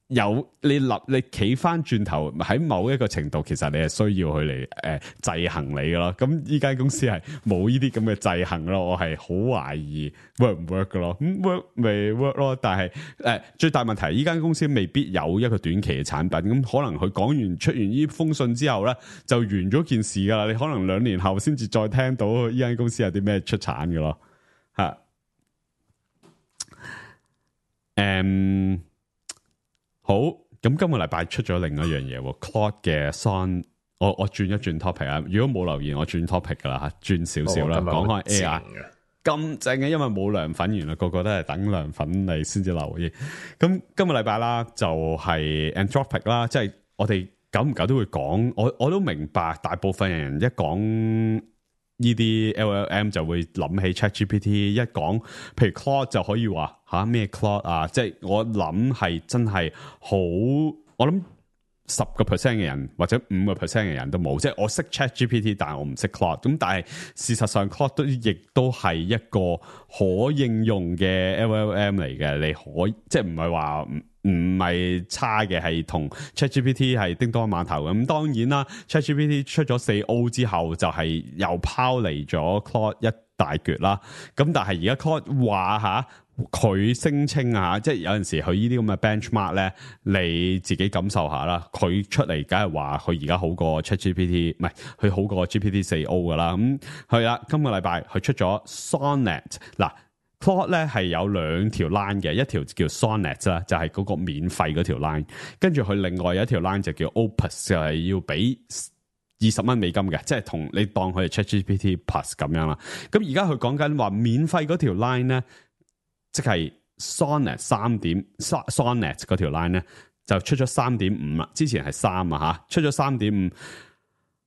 有你立你企翻轉頭喺某一個程度，其實你係需要佢嚟誒制衡你嘅咯。咁呢間公司係冇呢啲咁嘅制衡咯，我係好懷疑 work 唔 work 嘅咯。咁 work 未 work 咯，但係誒、呃、最大問題呢間公司未必有一個短期嘅產品。咁可能佢講完出完呢封信之後咧，就完咗件事噶啦。你可能兩年後先至再聽到呢間公司有啲咩出產嘅咯。吓，誒、um,，好，咁今個禮拜出咗另一樣嘢 ，Claude 嘅 Son， 我我轉一轉 topic 啊，如果冇留言，我轉 topic 噶啦吓，轉少少啦，講開 A I， 咁正嘅，因為冇涼粉，原來個個都係等涼粉嚟先至留意。咁今個禮拜啦，就係 Anthropic 啦，即係我哋久唔久都會講，我我都明白，大部分人一講呢啲 L L M 就會諗起 ChatGPT， 一講譬如 Claude 就可以話吓咩 Claude 啊，即係我諗係真係好，我諗十個 percent 嘅人或者五個 percent 嘅人都冇，即係我識 ChatGPT， 但係我唔識 Claude。咁但係事實上 Claude 都亦都係一個可應用嘅 L L M 嚟嘅，你可以即係唔係話唔唔係差嘅，係同 ChatGPT 係叮當碼頭。咁當然啦 ，ChatGPT 出咗四 O 之後就係又拋離咗 Claude 一大橛啦。咁但係而家 Claude 話吓。佢聲稱啊，即係有陣時佢呢啲咁嘅 benchmark 咧，你自己感受下啦。佢出嚟梗係話佢而家好過 ChatGPT， 唔係佢好過 G P T 四 O 噶啦。咁係啦，今個禮拜佢出咗 Sonnet 嗱 Claude 咧係有兩條 line 嘅，一條叫 Sonnet 啦，就係嗰個免費嗰條 line， 跟住佢另外有一條 line 就叫 Opus， 就係要俾二十蚊美金嘅，即係同你當佢係 ChatGPT Plus 咁樣啦。咁而家佢講緊話免費嗰條 line 咧。即係 Sonnet 三點 Sonnet 嗰條 line 咧就出咗三點五啦，之前係三啊吓，出咗三點五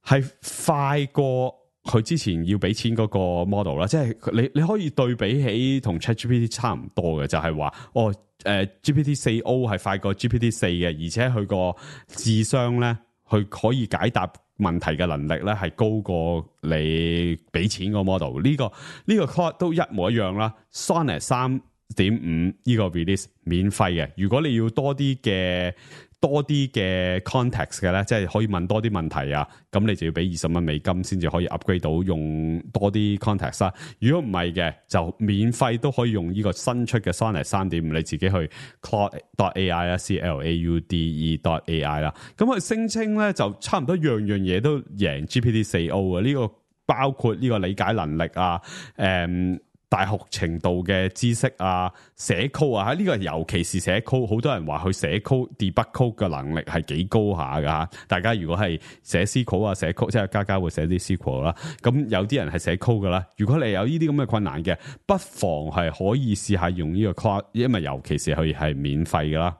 係快過佢之前要俾錢嗰個 model 啦，即係你你可以對比起同 ChatGPT 差唔多嘅，就係、是、話哦誒、呃、G P T 四 O 係快過 G P T 四嘅，而且佢個智商咧，佢可以解答問題嘅能力咧係高過你俾錢個 model， 呢、這個呢、這個 Claude 都一模一樣啦。Sonnet 三點五呢個 release 免費嘅，如果你要多啲嘅多啲嘅 context 嘅咧，即係可以問多啲問題啊，咁你就要俾二十蚊美金先至可以 upgrade 到用多啲 context 啦。如果唔係嘅，就免費都可以用呢個新出嘅 Sonnet 三點五，你自己去 Claude dot A I 啦 ，C L A U D E dot A I 啦。咁佢聲稱咧就差唔多樣樣嘢都贏 G P T 四 O 啊，呢個包括呢個理解能力啊，誒、嗯。大學程度嘅知識啊，寫 code 啊，呢個尤其是寫 code，好多人話佢寫 code、debug code 嘅能力係幾高下噶。大家如果係寫 S Q L 啊，寫 code， 即係家家會寫啲 S Q L 啦。咁有啲人係寫 code 噶啦。如果你有呢啲咁嘅困難嘅，不妨係可以試下用呢個 Claude， 因為尤其是佢係免費噶啦。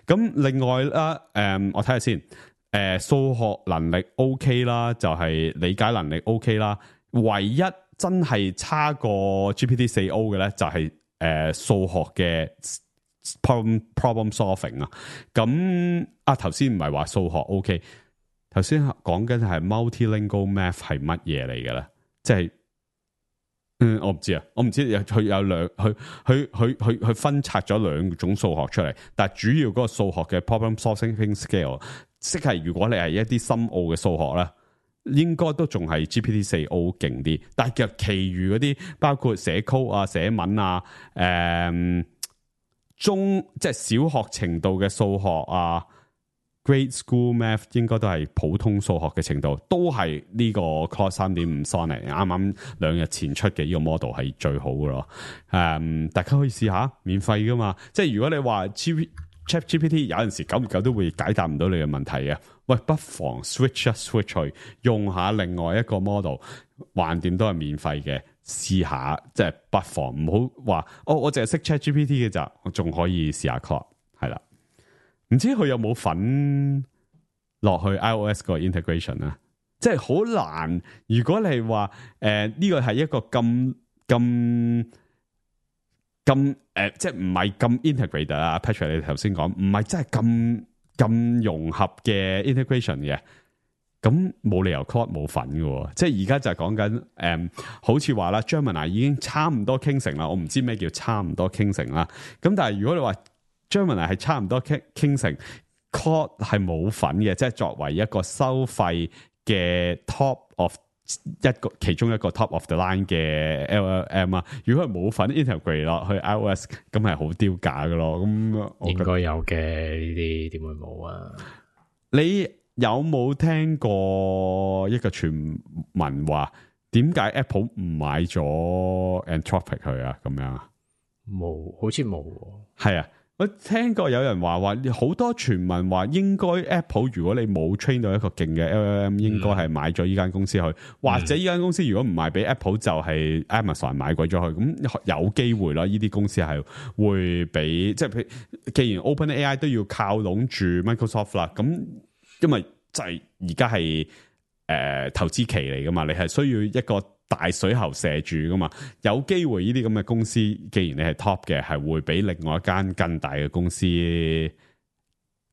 咁另外啦，誒、嗯，我睇下先，誒、呃，數學能力 OK 啦，就係、是、理解能力 OK 啦，唯一。真係差過 G P T 四 O 嘅咧，就係誒數學嘅 problem problem solving 啊。咁啊頭先唔係話數學 OK， 頭先講緊係 multilingual math 係乜嘢嚟嘅咧？即係嗯，我唔知啊，我唔知佢有兩，佢佢佢佢佢分拆咗兩種數學出嚟，但係主要嗰個數學嘅 problem solving scale， 即係如果你係一啲深奧嘅數學咧。應該都仲係 G P T 四 O 勁啲，但係其實其餘嗰啲包括寫 code 啊、寫文啊、誒、嗯、中即係小學程度嘅數學啊 ，grade school math 應該都係普通數學嘅程度，都係呢個 Claude 三點五 Sonnet 啱啱兩日前出嘅呢個 model 係最好嘅咯。誒、嗯，大家可以試下，免費噶嘛。即係如果你話 ChatGPT 有陣時久唔久都會解答唔到你嘅問題嘅。喂，不妨 switch 一 switch 去用下另外一個 model， 橫掂都係免費嘅，試下即係不妨唔好話哦，我淨係識 ChatGPT 嘅咋，我仲可以試下 Claude 係啦。唔知佢有冇份落去 iOS 個 integration 啊？即係好難。如果你話誒呢個係一個咁咁咁誒，即係唔係咁 integrated 啊 ？Patrick 你頭先講唔係真係咁。咁融合嘅 integration 嘅，咁冇理由 Claude 冇份嘅，即係而家就係講緊誒，好似話啦 Gemini 已經差唔多傾成啦，我唔知咩叫差唔多傾成啦。咁但係如果你話 Gemini 係差唔多傾傾成 Claude 係冇份嘅，即係作為一個收費嘅 top of 一個其中一個 top of the line 嘅 L L M 啊，如果係冇份 integrate 落去 iOS， 咁係好丟架嘅咯。咁應該有嘅，呢啲點會冇啊？你有冇聽過一個傳聞話點解 Apple 唔買咗 Anthropic 佢啊？咁樣冇，好似冇。係啊。我聽過有人話話好多傳聞話應該 Apple 如果你冇 train 到一個勁嘅 L L M， 應該係買咗呢間公司去，嗯、或者呢間公司如果唔賣俾 Apple 就係 Amazon 買鬼咗去，咁有機會啦。呢啲公司係會俾即係譬如，既然 OpenAI 都要靠攏住 Microsoft 啦，咁因為就係而家係誒投資期嚟噶嘛，你係需要一個大水喉射住噶嘛，有機會呢啲咁嘅公司，既然你係 top 嘅，係會俾另外一間更大嘅公司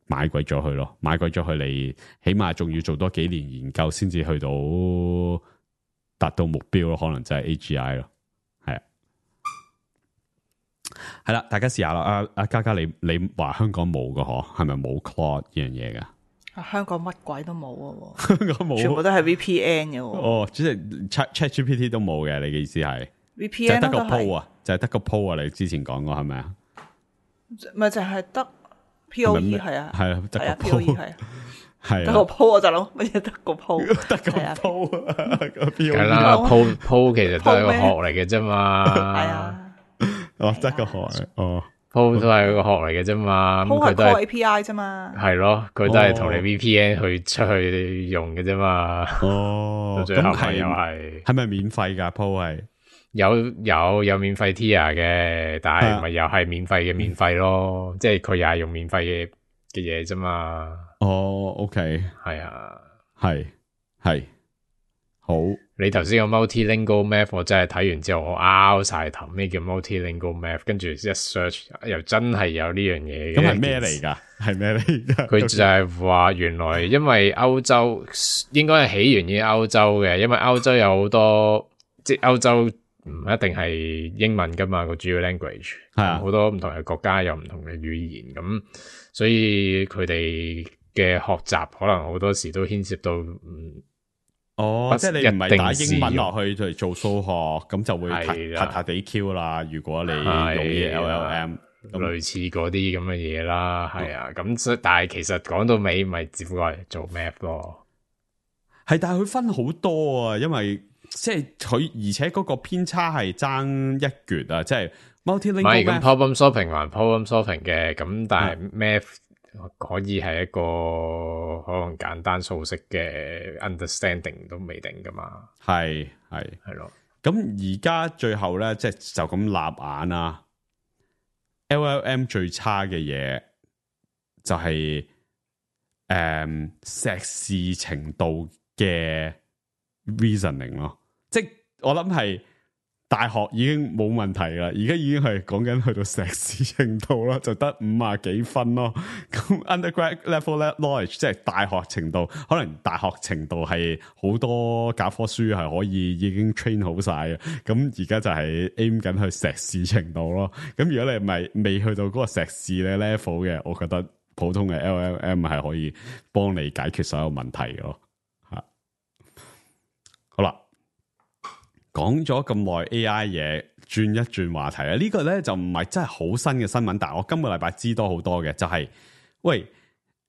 買貴咗佢咯，買貴咗佢你起碼仲要做多幾年研究先至去到達到目標咯，可能就係 A G I 咯，係啊，係啦，大家試下啦。阿阿嘉嘉，你你話香港冇㗎嗬，係咪冇 Claude 呢樣嘢噶？香港乜鬼都冇啊！香港冇，全部都係 V P N 嘅。哦，即係 Chat Chat G P T 都冇嘅，你嘅意思係 V P N 就係得個 Po 啊，就係得個 Po 啊，你之前講過係咪啊？咪就係得 P O E 係啊，係啊，得個 P O E 係啊，係得個 Po 我就諗乜嘢得個 Po，得個 Po 啊，個 P O E 係啦，Po Po 其實都係一個學嚟嘅啫嘛，係啊，哦，得個學哦。Po 都係個學嚟嘅啫嘛，Po 係 call A P I 啫嘛，係咯，佢都係同你 V P N 去出去用嘅啫嘛。哦，到最後係又係係咪免費噶 Po 係？有有有免費 tier 嘅，但係咪又係免費嘅免費咯？嗯、即係佢又係用免費嘅嘅嘢啫嘛。哦 ，OK，係啊，係係好。你頭先個 multilingual math 我真係睇完之後我拗晒頭，咩叫 multilingual math？跟住一 search 又真係有呢樣嘢。咁係咩嚟噶？係咩嚟噶？佢就係話原來因為歐洲應該係起源於歐洲嘅，因為歐洲有好多即係歐洲唔一定係英文噶嘛，個主要 language 係啊，好多唔同嘅國家有唔同嘅語言，咁所以佢哋嘅學習可能好多時都牽涉到嗯。哦，即係你唔係打英文落去嚟做數學，咁就會撻撻地 Q 啦。如果你用啲 L L M，類似嗰啲咁嘅嘢啦，係啊。咁所以但係其實講到尾，咪只不過係做 math 咯。係，但係佢分好多啊，因為即係佢而且嗰個偏差係爭一橛啊，即係 multilingual。唔係咁 problem solving 還 problem solving 嘅，咁但係 math。可以係一個可能簡單數式嘅 understanding 都未定噶嘛，係係係咯。咁而家最後咧，即係就咁立眼啊 ，L L M 最差嘅嘢就係誒碩士程度嘅 reasoning 咯，即係我諗係。大學已經冇問題啦，而家已經係講緊去到碩士程度啦，就得五啊幾分咯。咁 undergrad level knowledge 即係大學程度，可能大學程度係好多教科書係可以已經 train 好晒嘅。咁而家就係 aim 緊去碩士程度咯。咁如果你唔係未去到嗰個碩士嘅 level 嘅，我覺得普通嘅 L L M 係可以幫你解決所有問題嘅咯。吓，好啦。講咗咁耐 A I 嘢，轉一轉話題啊！呢個咧就唔係真係好新嘅新聞，但係我今個禮拜知多好多嘅，就係喂，誒、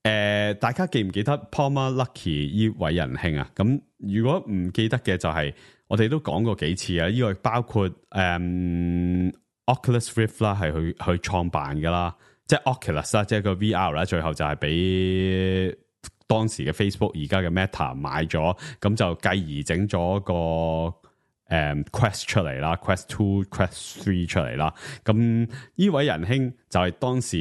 呃，大家記唔記得 Palmer Luckey 呢位仁兄啊？咁如果唔記得嘅，就係我哋都講過幾次啊！呢個包括誒、嗯、Oculus Rift 啦，係去去創辦噶啦，即係 Oculus 啦，即係個 V R 啦，最後就係俾當時嘅 Facebook 而家嘅 Meta 買咗，咁就繼而整咗個。誒、um, Quest 出嚟啦 ，Quest Two、Quest Three 出嚟啦。咁呢位仁兄就係當時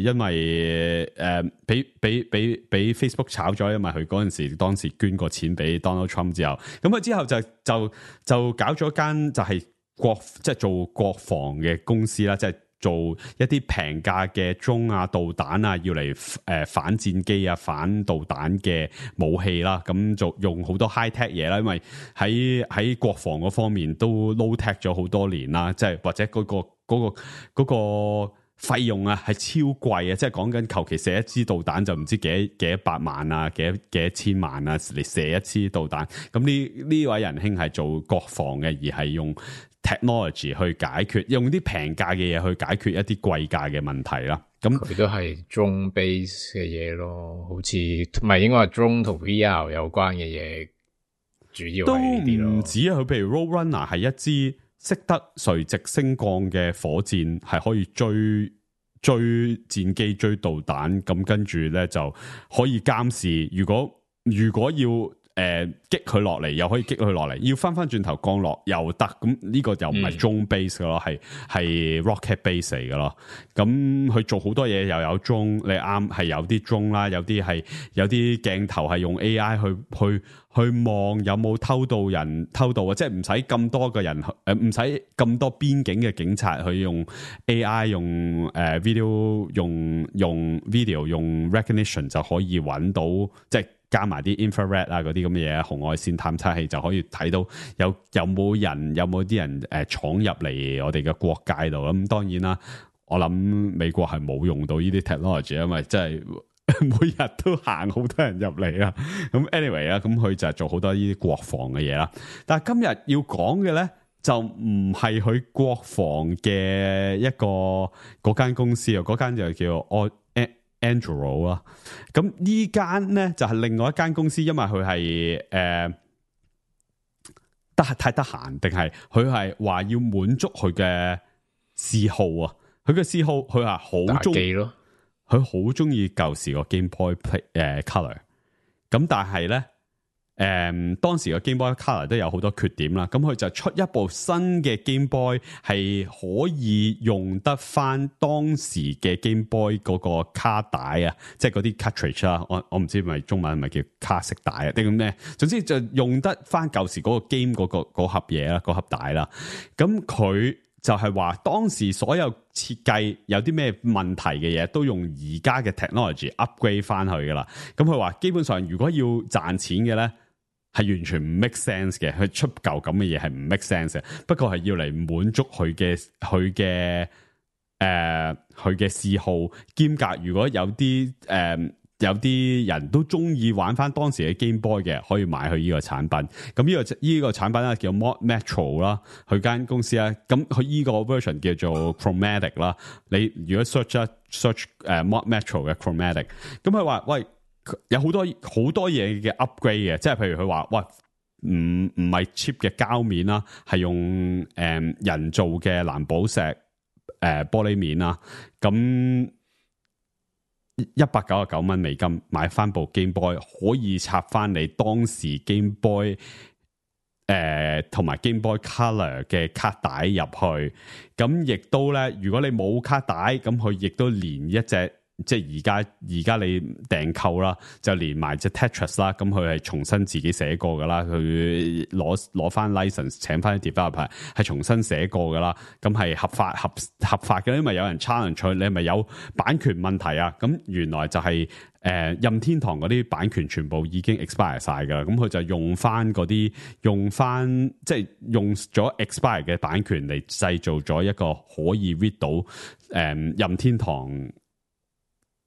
因為誒俾俾俾俾 Facebook 炒咗，因為佢嗰陣時當時捐過錢俾 Donald Trump 之後，咁佢之後就就就搞咗間就係國即係做國防嘅公司啦，即係。做一啲平價嘅鐘啊、導彈啊，要嚟誒、呃、反戰機啊、反導彈嘅武器啦，咁就用好多 high tech 嘢啦，因為喺喺國防嗰方面都 low tech 咗好多年啦，即係或者嗰、嗰個嗰、嗰個嗰、嗰個費用啊係超貴啊，即係講緊求其射一支導彈就唔知幾多幾多百萬啊，幾多幾多千萬啊嚟射一支導彈，咁呢呢位仁兄係做國防嘅，而係用 technology 去解決，用啲平價嘅嘢去解決一啲貴價嘅問題啦。咁佢都係 drone base 嘅嘢咯，好似唔係應該係 drone 同 V R 有關嘅嘢，主要係呢啲咯。都唔止啊，佢譬如 Roadrunner 係一支識得垂直升降嘅火箭，係可以追追戰機、追導彈，咁跟住咧就可以監視。如果如果要誒擊佢落嚟，又可以擊佢落嚟，要翻翻轉頭降落又得，咁呢個又唔係 drone base 嘅咯，係係 rocket base 嚟嘅咯。咁佢做好多嘢又有 drone，你啱係有啲 drone 啦，有啲係有啲鏡頭係用 A I 去去去望有冇偷渡人偷渡啊，即係唔使咁多個人誒，唔使咁多邊境嘅警察去用 A I 用誒、呃、video 用用 video 用 recognition 就可以揾到即係。加埋啲 infrared 啊嗰啲咁嘅嘢，紅外線探測器就可以睇到有有冇人有冇啲人誒闖入嚟我哋嘅國界度。咁當然啦，我諗美國係冇用到呢啲 technology，因為真係每日都行好多人入嚟啊。咁 anyway 啊，咁佢就係做好多呢啲國防嘅嘢啦。但係今日要講嘅咧，就唔係佢國防嘅一個嗰間公司啊，嗰間就叫我。Anduril 啦，咁呢間咧就係、是、另外一間公司，因為佢係誒得太得閒，定係佢係話要滿足佢嘅嗜好啊？佢嘅嗜好，佢話好中意咯，佢好中意舊時個 Game Boy Play 誒、呃、Color，咁但係咧。誒、嗯，當時嘅 Game Boy Color 都有好多缺點啦，咁佢就出一部新嘅 Game Boy 係可以用得翻當時嘅 Game Boy 嗰個卡帶啊，即係嗰啲 cartridge 啦，我我唔知係咪中文係咪叫卡式帶啊，定咩？總之就用得翻舊時嗰個 game 嗰、嗰個盒嘢啦，嗰盒帶啦。咁佢就係話當時所有設計有啲咩問題嘅嘢，都用而家嘅 technology upgrade 翻去噶啦。咁佢話基本上如果要賺錢嘅咧。係完全唔 make sense 嘅，佢出舊咁嘅嘢係唔 make sense 嘅。不過係要嚟滿足佢嘅佢嘅誒佢嘅嗜好兼夾。如果有啲誒、呃、有啲人都中意玩翻當時嘅 Game Boy 嘅，可以買佢呢個產品。咁呢、呢個呢、呢個產品咧叫 Mod Metro 啦，佢間公司咧，咁佢呢個 version 叫做 Chromatic 啦。你如果 search 一 search 誒 Mod Metro 嘅 Chromatic， 咁佢話喂。有好多好多嘢嘅 upgrade 嘅，即係譬如佢話，喂，唔唔係 cheap 嘅膠面啦，係用誒、呃、人造嘅藍寶石誒、呃、玻璃面啦，咁一百九十九蚊美金買翻部 Game Boy， 可以插翻你當時 Game Boy 誒同埋 Game Boy Color 嘅卡帶入去，咁亦都咧，如果你冇卡帶，咁佢亦都連一隻。即係而家而家你訂購啦，就連埋隻 Tetris 啦，咁佢係重新自己寫過噶啦，佢攞攞翻 license 請翻啲 developer 係重新寫過噶啦，咁係合法合合法嘅，因為有人 challenge 佢，你係咪有版權問題啊？咁原來就係、是、誒、呃、任天堂嗰啲版權全部已經 expire 晒噶啦，咁佢就用翻嗰啲用翻即係用咗 expire 嘅版權嚟製造咗一個可以 read 到誒、呃、任天堂。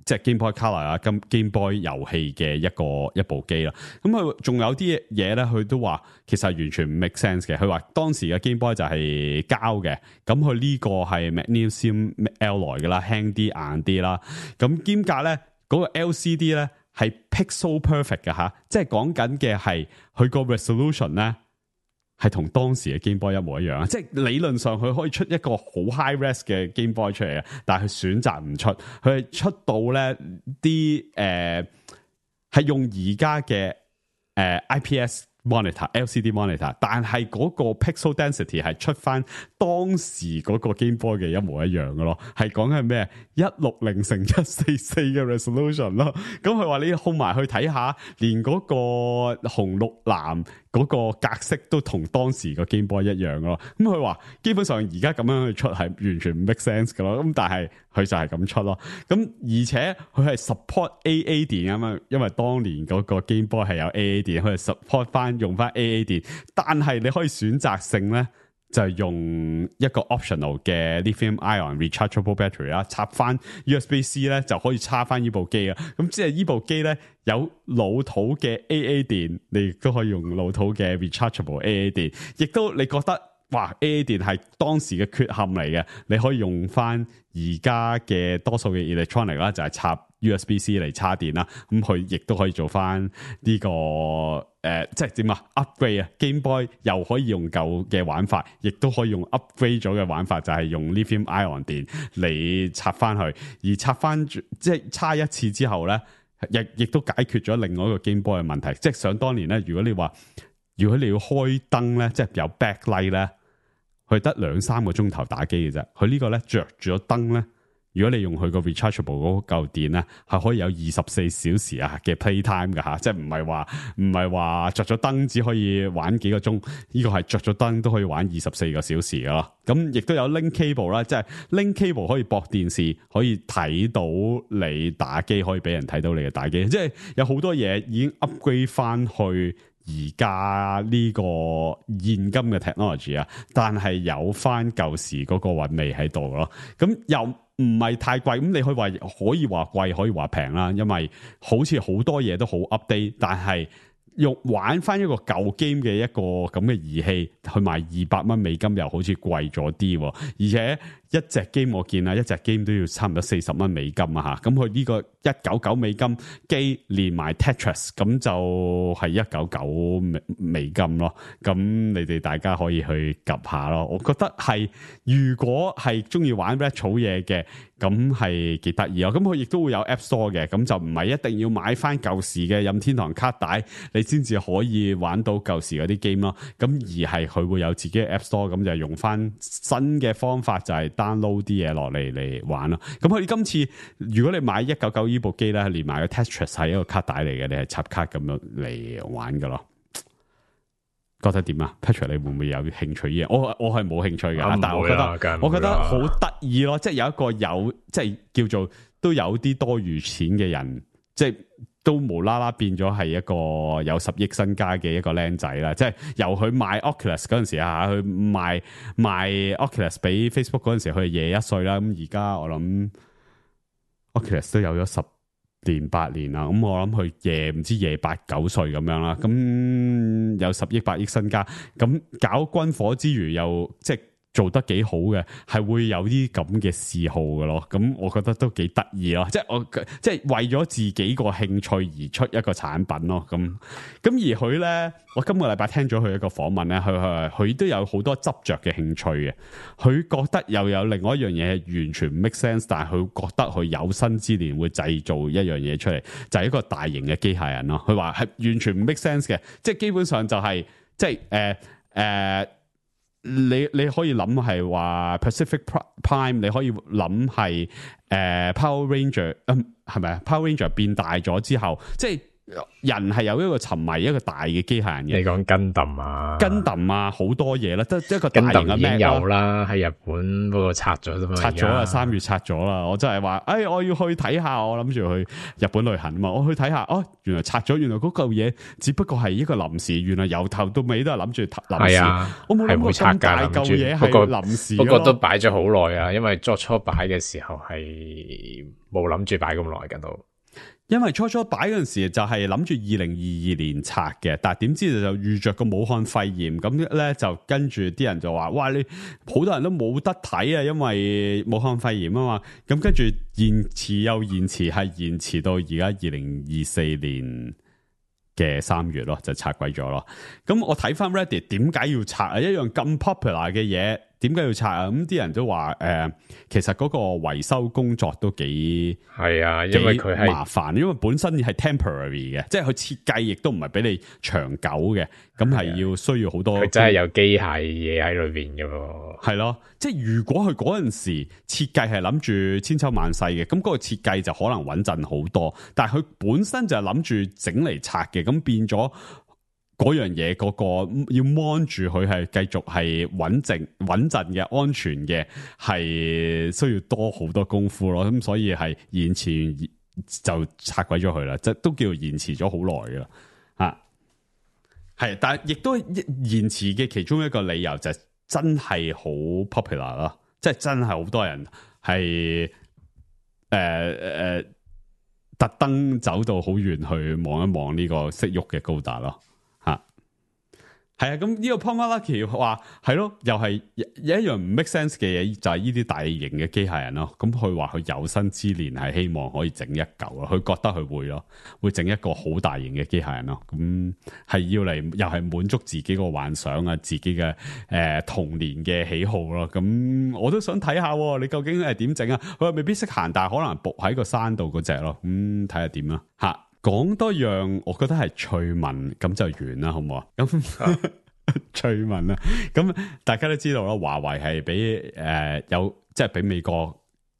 即係 Game Boy Color 啊，咁 Game Boy 遊戲嘅一個一部機啦。咁佢仲有啲嘢咧，佢都話其實完全唔 make sense 嘅。佢話當時嘅 Game Boy 就係膠嘅，咁佢呢個係 Magnesium alloy 嘅啦，輕啲硬啲啦。咁兼夾咧嗰個 L C D 咧係 pixel perfect 嘅吓，即係講緊嘅係佢個 resolution 咧。係同當時嘅 Game Boy 一模一樣啊！即係理論上佢可以出一個好 high res 嘅 Game Boy 出嚟嘅，但係佢選擇唔出，佢係出到咧啲誒係用而家嘅誒 I P S monitor、L C D monitor， 但係嗰個 pixel density 係出翻當時嗰個 Game Boy 嘅一模一樣嘅咯，係講緊咩？一六零乘一四四嘅 resolution 咯。咁佢話你控埋去睇下，連嗰個紅綠藍嗰個格式都同當時個 Game Boy 一樣咯。咁佢話基本上而家咁樣去出係完全唔 make sense 嘅咯。咁但係佢就係咁出咯。咁而且佢係 support A A 電啊嘛，因為當年嗰個 Game Boy 係有 A A 電，佢係 support 翻用翻 A A 電。但係你可以選擇性咧。就係用一個 optional 嘅 lithium ion rechargeable battery 啦，插翻 U S B C 咧就可以插翻呢部機啊。咁即係呢部機咧有老土嘅 A A 電，你亦都可以用老土嘅 rechargeable A A 電，亦都你覺得哇 A A 電係當時嘅缺陷嚟嘅，你可以用翻而家嘅多數嘅 electronic 啦，就係插 U S B C 嚟插電啦。咁佢亦都可以做翻呢、這個誒、呃，即係點啊 upgrade 啊 Game Boy 又可以用舊嘅玩法，亦都可以用 upgrade 咗嘅玩法，就係、是、用 lithium ion 電嚟插翻去，而插翻即係插一次之後咧。亦亦都解決咗另外一個 Game Boy 嘅問題。即係想當年咧，如果你話如果你要開燈咧，即係有 backlight 咧，佢得兩三個鐘頭打機嘅啫。佢呢個咧着住咗燈咧。如果你用佢個 rechargeable 嗰嚿電咧，係可以有二十四小時啊嘅 playtime 㗎吓，即係唔係話唔係話着咗燈只可以玩幾個鐘，呢、這個係着咗燈都可以玩二十四個小時噶咯。咁亦都有 link cable 啦，即係 link cable 可以駁電視，可以睇到你打機，可以俾人睇到你嘅打機，即係有好多嘢已經 upgrade 翻去而家呢個現今嘅 technology 啊，但係有翻舊時嗰個韻味喺度咯。咁又唔係太貴，咁你可以話可以話貴，可以話平啦，因為好似好多嘢都好 update，但係用玩翻一個舊 game 嘅一個咁嘅儀器去賣二百蚊美金，又好似貴咗啲，而且一隻 game 我見啊，一隻 game 都要差唔多四十蚊美金啊吓，咁佢呢個一九九美金機連埋 Tetris， 咁就係一九九美美金咯。咁你哋大家可以去及下咯。我覺得係如果係中意玩 retro 嘢嘅，咁係幾得意啊。咁佢亦都會有 App Store 嘅，咁就唔係一定要買翻舊時嘅任天堂卡帶，你先至可以玩到舊時嗰啲 game 咯。咁而係佢會有自己嘅 App Store，咁就用翻新嘅方法，就係 download 啲嘢落嚟嚟玩咯。咁佢今次如果你買一九九呢部機咧，連埋個 Tetris 係一個卡帶嚟嘅，你係插卡咁樣嚟玩噶咯。覺得點啊 Patrick 你會唔會有興趣嘅？我我係冇興趣嘅，但係我覺得我覺得好得意咯，即係有一個有即係叫做都有啲多餘錢嘅人，即係都無啦啦變咗係一個有十億身家嘅一個僆仔啦。即係由佢賣 Oculus 嗰陣時啊，佢賣賣 Oculus 俾 Facebook 嗰陣時，佢係廿一歲啦。咁而家我諗 Oculus 都有咗十年八年啦，咁我諗佢夜唔知夜八九歲咁樣啦，咁有十億八億身家，咁搞軍火之餘又即係做得幾好嘅，係會有啲咁嘅嗜好嘅咯。咁我覺得都幾得意咯，即係我即係為咗自己個興趣而出一個產品咯。咁咁而佢咧，我今個禮拜聽咗佢一個訪問咧，佢佢佢都有好多執着嘅興趣嘅。佢覺得又有另外一樣嘢係完全唔 make sense， 但係佢覺得佢有生之年會製造一樣嘢出嚟，就係一個大型嘅機械人咯。佢話係完全唔 make sense 嘅，即係基本上就係即係誒誒。你你可以諗係話 Pacific Prime， 你可以諗係誒 Power Ranger， 嗯係咪啊 Power Ranger 變大咗之後，即係人係有一個沉迷一個大嘅機械人嘅。你講 Gundam 啊 Gundam 啊好多嘢啦，得一個大型嘅 Mac 有啦，喺日本不過拆咗啫嘛，拆咗啦，三月拆咗啦。我真係話，誒我要去睇下，我諗住去日本旅行啊嘛，我去睇下，哦原來拆咗，原來嗰嚿嘢只不過係一個臨時，原來由頭到尾都係諗住臨時，啊、我冇諗過咁大嚿嘢係臨時，不過都擺咗好耐啊，因為初初擺嘅時候係冇諗住擺咁耐㗎都。因為初初擺嗰陣時就係諗住二零二二年拆嘅，但係點知就遇着個武漢肺炎，咁咧就跟住啲人就話，哇你好多人都冇得睇啊，因為武漢肺炎啊嘛，咁跟住延遲又延遲，係延遲到而家二零二四年嘅三月咯，就拆鬼咗咯。咁我睇翻 Reddit 點解要拆啊？一樣咁 popular 嘅嘢，點解要拆啊？咁啲人都話誒、呃，其實嗰個維修工作都幾係啊，因為佢係麻煩，因為本身係 temporary 嘅，即係佢設計亦都唔係俾你長久嘅，咁係要需要好多。佢真係有機械嘢喺裏邊嘅喎。係咯，即係如果佢嗰陣時設計係諗住千秋萬世嘅，咁嗰個設計就可能穩陣好多。但係佢本身就係諗住整嚟拆嘅，咁變咗。嗰樣嘢嗰個要 mon 住佢係繼續係穩陣穩陣嘅安全嘅，係需要多好多功夫咯。咁所以係延遲就拆鬼咗佢啦，即係都叫延遲咗好耐噶啦吓。係，但係亦都延遲嘅其中一個理由就係真係好 popular 咯，即係真係好多人係誒誒特登走到好遠去望一望呢個識喐嘅高達咯。係啊，咁呢個 Palmer Luckey 話係咯，又係有一樣唔 make sense 嘅嘢，就係呢啲大型嘅機械人咯。咁佢話佢有生之年係希望可以整一嚿咯，佢覺得佢會咯，會整一個好大型嘅機械人咯。咁係要嚟又係滿足自己個幻想啊，自己嘅誒、呃、童年嘅喜好咯。咁我都想睇下，你究竟係點整啊？佢未必識行，但係可能伏喺個山度嗰隻咯。咁睇下點啦吓。講多樣，我覺得係趣聞，咁就完啦，好唔好啊？咁趣聞啦，咁大家都知道啦，華為係俾誒有即係俾美國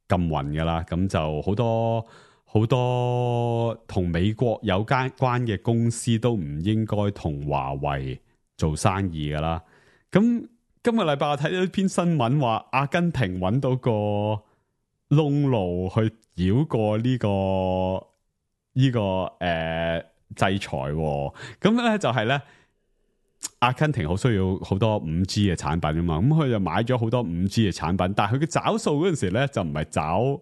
禁運噶啦，咁就好多好多同美國有關關嘅公司都唔應該同華為做生意噶啦。咁今個禮拜我睇到一篇新聞話，阿根廷揾到個窿路去繞過呢個。呢、這個誒、呃、制裁喎，咁咧就係咧，阿根廷好需要好多五 G 嘅產品啊嘛，咁佢就買咗好多五 G 嘅產品，但係佢嘅找數嗰陣時咧就唔係找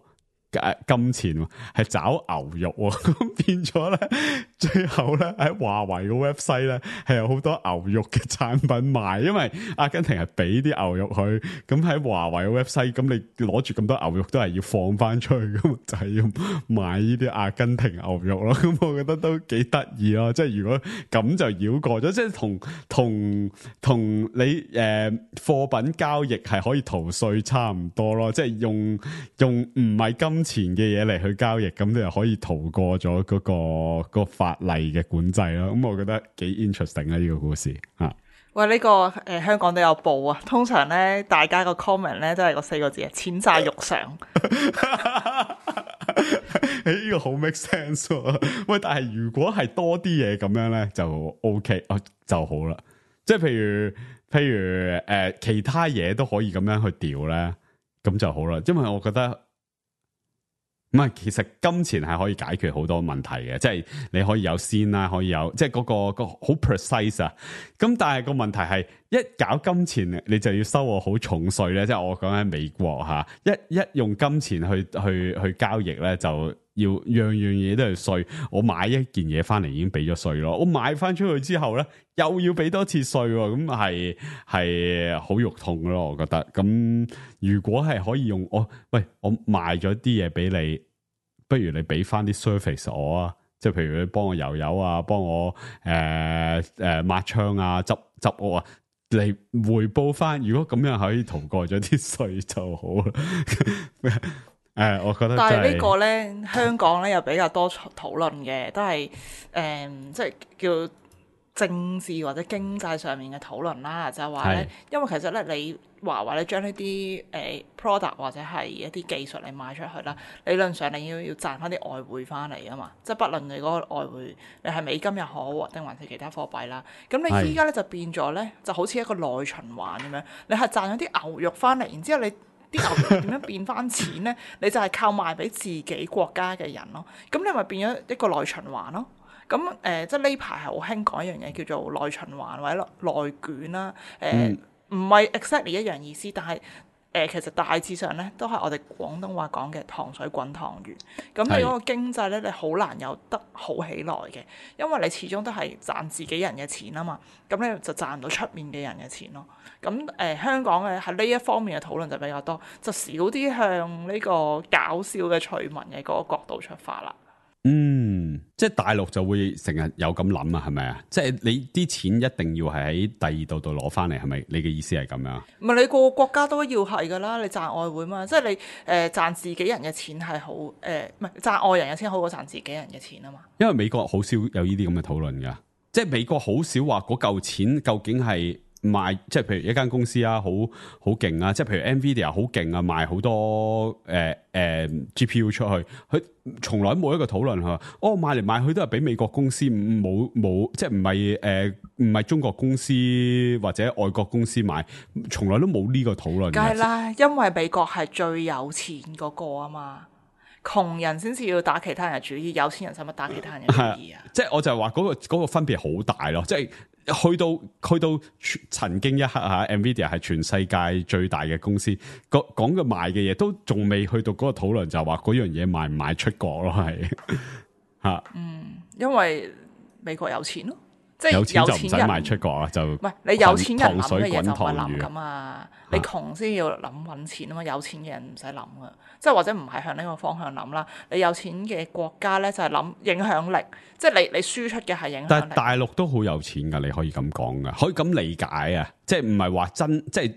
誒金錢，係找牛肉，咁變咗咧，最後咧喺華為嘅 website 咧係有好多牛肉嘅產品賣，因為阿根廷係俾啲牛肉佢，咁喺華為嘅 website，咁你攞住咁多牛肉都係要放翻出去，咁就係要買呢啲阿根廷牛肉咯，咁我覺得都幾得意咯，即係如果咁就繞過咗，即係同同同你誒貨、呃、品交易係可以逃稅差唔多咯，即係用用唔係金前嘅嘢嚟去交易，咁你又可以逃過咗嗰、嗰個、嗰個法例嘅管制咯。咁我覺得幾 interesting 啊！呢、呢個故事啊，喂，呢、呢個誒、呃、香港都有報啊。通常咧，大家個 comment 咧都係個四個字啊，錢債肉償。誒，呢個好 make sense、啊。喂，但係如果係多啲嘢咁樣咧，就 OK 哦就好啦。即係譬如譬如誒、呃，其他嘢都可以咁樣去調咧，咁就好啦。因為我覺得。唔係，其實金錢係可以解決好多問題嘅，即係你可以有先啦，可以有即係嗰、嗰個、嗰個好 precise 啊。咁但係個問題係一搞金錢，你就要收我好重稅咧。即係我講喺美國吓，一一用金錢去去去交易咧，就要樣樣嘢都係稅。我買一件嘢翻嚟已經俾咗稅咯，我買翻出去之後咧又要俾多次稅，咁係係好肉痛咯。我覺得咁如果係可以用我喂我賣咗啲嘢俾你。不如你俾翻啲 service 我啊，即係譬如你幫我油油啊，幫我誒誒抹窗啊，執執屋啊，嚟回報翻。如果咁樣可以逃過咗啲稅就好啦。誒、呃，我覺得、就是，但係呢個咧，香港咧又比較多討論嘅，都係誒、呃，即係叫政治或者經濟上面嘅討論啦，就係話咧，因為其實咧你。華為咧將呢啲誒 product 或者係一啲技術嚟賣出去啦，理論上你要要賺翻啲外匯翻嚟啊嘛，即係不論你嗰個外匯你係美金又好，定還是其他貨幣啦，咁你依家咧就變咗咧，就好似一個內循環咁樣，你係賺咗啲牛肉翻嚟，然之後你啲牛肉點樣變翻錢咧？你就係靠賣俾自己國家嘅人咯，咁你咪變咗一個內循環咯。咁誒、呃，即係呢排係好興講一樣嘢叫做內循環或者內卷啦，誒、呃。嗯唔係 exactly 一樣意思，但係誒、呃、其實大致上咧都係我哋廣東話講嘅糖水滾湯圓。咁你嗰個經濟咧，你好難有得好起來嘅，因為你始終都係賺自己人嘅錢啊嘛。咁你就賺唔到出面嘅人嘅錢咯。咁誒、呃、香港嘅喺呢一方面嘅討論就比較多，就少啲向呢個搞笑嘅趣聞嘅嗰個角度出發啦。嗯，即係大陸就會成日有咁諗啊，係咪啊？即係你啲錢一定要係喺第二度度攞翻嚟，係咪？你嘅意思係咁樣？唔係，你個個國家都要係噶啦，你賺外匯嘛，即係你誒賺、呃、自己人嘅錢係好誒，唔係賺外人嘅錢好過賺自己人嘅錢啊嘛。因為美國好少有呢啲咁嘅討論噶，即係美國好少話嗰嚿錢究竟係。賣即係譬如一間公司啊，好好勁啊！即係譬如 Nvidia 好勁啊，賣好多誒誒、呃呃、G P U 出去，佢從來冇一個討論佢話，哦賣嚟賣去都係俾美國公司，冇冇即係唔係誒唔係中國公司或者外國公司買，從來都冇呢個討論。梗係啦，因為美國係最有錢嗰個啊嘛。窮人先至要打其他人嘅主意，有錢人使乜打其他人嘅主意啊？即係我就係話嗰個嗰個分別好大咯，即係去到去到曾經一刻吓 Nvidia 係全世界最大嘅公司，講講嘅賣嘅嘢都仲未去到嗰個討論，就係話嗰樣嘢賣唔賣出國咯，係吓。嗯，因為美國有錢咯。即係有錢就唔有錢人使賣出國啊，就唔係你有錢人諗糖水嘅嘢就唔係滾諗噶嘛，你窮先要諗揾錢啊嘛，有錢嘅人唔使諗噶，即係或者唔係向呢個方向諗啦。你有錢嘅國家咧就係諗影響力，即係你你輸出嘅係影響力。但係大陸都好有錢噶，你可以咁講噶，可以咁理解啊，即係唔係話真即係。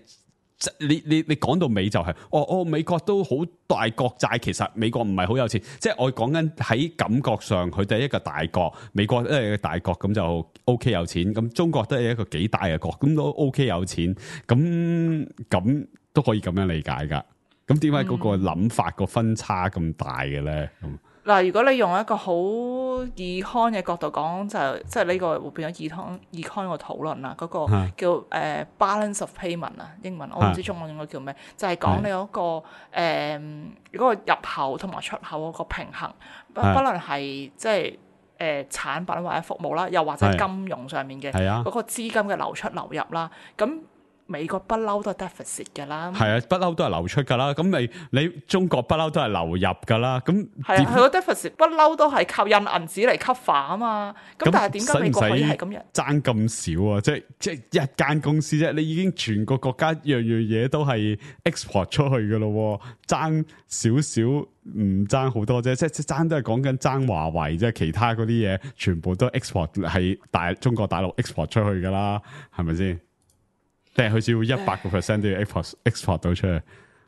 你你你講到尾就係、是，哦哦，美國都好大國債，其實美國唔係好有錢，即係我講緊喺感覺上，佢哋係一個大國，美國都係一個大國，咁就 O K 有錢，咁中國都係一個幾大嘅國，咁都 O K 有錢，咁咁都可以咁樣理解噶。咁點解嗰個諗法個分差咁大嘅咧？咁嗱，如果你用一個好 econ 嘅角度講，就即係呢個會變咗 econ econ 個討論啦。嗰、那個叫誒、呃、balance of payment 啊，英文我唔知中文應該叫咩，就係、是、講你嗰、那個誒嗰、呃那個入口同埋出口嗰個平衡，不不論係即係誒、呃、產品或者服務啦，又或者金融上面嘅嗰個資金嘅流出流入啦，咁。美國不嬲都係 deficit 㗎啦，係啊，不嬲都係流出㗎啦。咁你你中國不嬲都係流入㗎啦。咁係啊，佢個 deficit 不嬲都係靠印銀紙嚟 cover 啊嘛。咁但係點解美國可以係咁樣爭咁少啊？即係即係一間公司啫，你已經全個國家樣樣嘢都係 export 出去㗎咯，爭少少唔爭好多啫。即係即係爭都係講緊爭華為啫，其他嗰啲嘢全部都 export 係大中國大陸 export 出去㗎啦，係咪先？定係佢只要一百個 percent 都要 export export 到出去，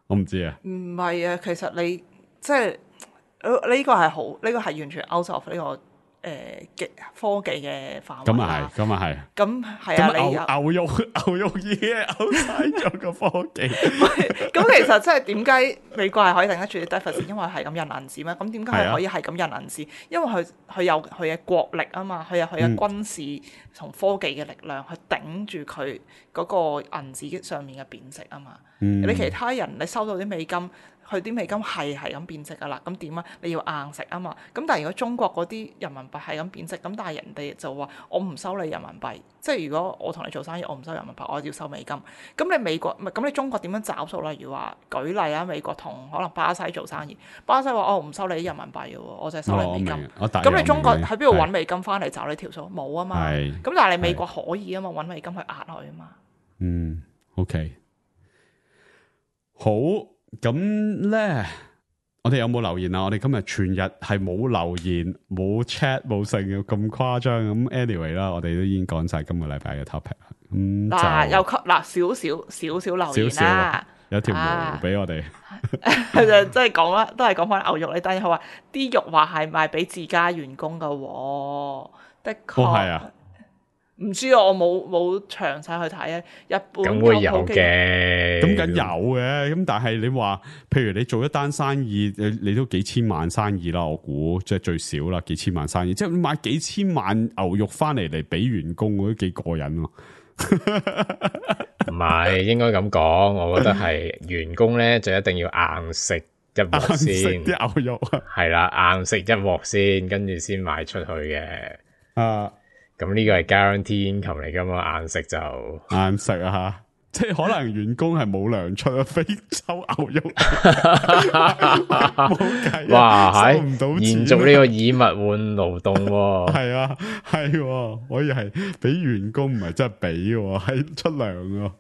我唔知啊。唔係啊，其實你即係呢、呢個係好，呢、呢個係完全 out of 呢、呢個誒嘅、呃、科技嘅範圍。咁啊係，咁啊係。咁係啊，你牛牛肉牛肉已經 out 晒咗個科技。咁其實即係點解美國係可以頂得住啲 deficit？因為係咁印銀紙咩？咁點解佢可以係咁印銀紙？因為佢佢有佢嘅國力啊嘛，佢有佢嘅軍事同科技嘅力量去頂住佢嗰個銀紙上面嘅貶值啊嘛。嗯、你其他人你收到啲美金。佢啲美金係係咁貶值噶啦，咁點啊？你要硬食啊嘛。咁但係如果中國嗰啲人民幣係咁貶值，咁但係人哋就話我唔收你人民幣，即係如果我同你做生意，我唔收人民幣，我要收美金。咁你美國唔係咁你中國點樣找數？例如話舉例啊，美國同可能巴西做生意，巴西話我唔收你啲人民幣嘅喎，我就係收你美金。咁、哦、你中國喺邊度揾美金翻嚟找你條數？冇啊嘛。咁但係你美國可以啊嘛，揾美金去壓佢啊嘛。嗯 ，OK， 好。咁咧，我哋有冇留言啊？我哋今日全日係冇留言、冇 chat、冇剩嘅咁誇張。咁 anyway 啦，我哋都已經講晒今個禮拜嘅 topic 啦。咁嗱，又嗱少少少少留言啦，有條毛俾我哋。佢就即係講啦，都係講翻牛肉。你等陣佢話啲肉話係賣俾自家員工噶，的確係啊。唔知啊，我冇冇詳細去睇啊。日本咁會有嘅，咁梗有嘅。咁但係你話，譬如你做一單生意，你你都幾千萬生意啦，我估即係最少啦，幾千萬生意，即係買幾千萬牛肉翻嚟嚟俾員工，我都幾過癮咯。唔係應該咁講，我覺得係員工咧就一定要硬食一鑊先，啲牛肉係啦，硬食一鑊先，跟住先賣出去嘅。啊！咁呢個係 guarantee income 嚟噶嘛，硬食就硬食啊吓，即係可能員工係冇糧出啊，非洲牛肉冇計，哇係收唔到錢，延續呢個以物換勞動，係啊係，可以係俾員工唔係真係俾，係出糧啊。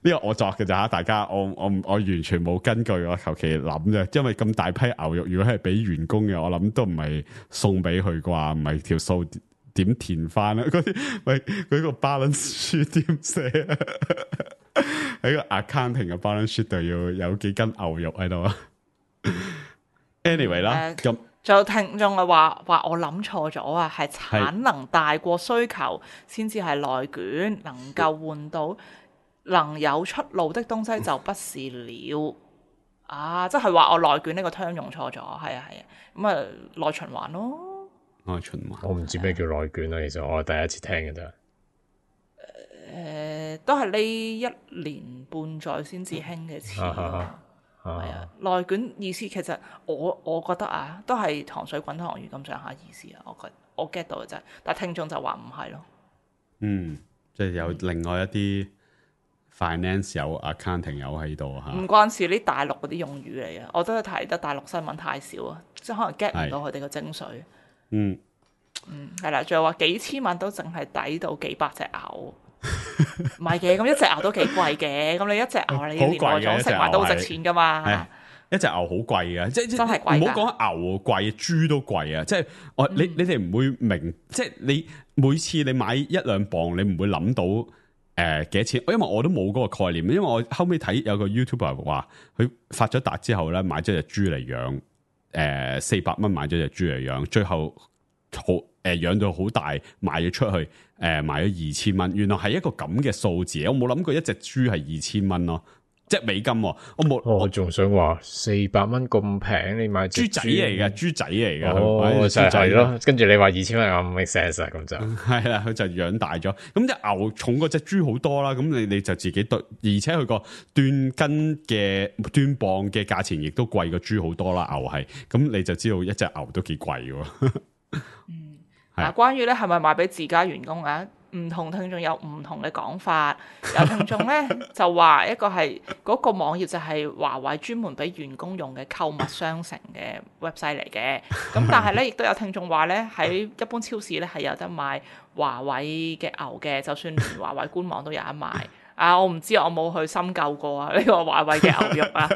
呢個我作嘅咋吓，大家我我我完全冇根據，我求其諗啫。因為咁大批牛肉，如果係俾員工嘅，我諗都唔係送俾佢啩，唔係條數。點填翻啊？嗰啲喂，嗰個 balance sheet 點寫啊？喺個 accounting 嘅 balance sheet 度要有幾斤牛肉喺度啊 ？Anyway 啦，咁仲有聽眾啊話話我諗錯咗啊，係產能大過需求先至係內卷，能夠換到能有出路的東西就不是了啊！即係話我內卷呢個 term 用錯咗，係啊係啊，咁啊內循環咯。內循環，我唔知咩叫內卷啊，其實我係第一次聽嘅啫。誒、呃，都係呢一年半載先至興嘅詞咯。係啊，內卷意思其實我我覺得啊，都係糖水滾糖魚咁上下意思啊。我覺我 get 到嘅啫，但係聽眾就話唔係咯。嗯，即係有另外一啲 finance 有 accounting 有喺度嚇。唔關事，呢大陸嗰啲用語嚟嘅，我都係睇得大陸新聞太少啊，即係可能 get 唔到佢哋嘅精髓。嗯，嗯，係啦，仲有話幾千蚊都淨係抵到幾百隻牛，唔係嘅，咁一隻牛都幾貴嘅，咁你一隻牛你連外種食埋都好值錢噶嘛。一隻牛好貴嘅，即係真係貴。唔好講牛貴，豬都貴啊！即係我你你哋唔會明，即係你每次你買一兩磅，你唔會諗到誒幾多錢，因為我都冇嗰個概念。因為我後尾睇有個 YouTuber 話，佢發咗達之後咧，買咗隻豬嚟養，誒四百蚊買咗隻豬嚟養，最後好誒養到好大，賣咗出去，誒賣咗二千蚊。原來係一個咁嘅數字，我冇諗過一隻豬係二千蚊咯。即係美金，我冇。我仲想話四百蚊咁平，你買豬仔嚟嘅，豬仔嚟嘅。哦，就係咯。跟住你話二千蚊，我唔 make sense 啊，咁就係啦，佢就養大咗。咁隻牛重過隻豬好多啦。咁你你就自己對，而且佢個噸斤嘅噸磅嘅價錢亦都貴過豬好多啦。牛係，咁你就知道一隻牛都幾貴嘅。嗯，嗱，關於咧係咪賣俾自家員工啊？唔同聽眾有唔同嘅講法，有聽眾咧就話一個係嗰、那個網頁就係華為專門俾員工用嘅購物商城嘅 website 嚟嘅，咁但係咧亦都有聽眾話咧喺一般超市咧係有得買華為嘅牛嘅，就算連華為官網都有得賣。啊，我唔知，我冇去深究過啊呢、這個華為嘅牛肉啊。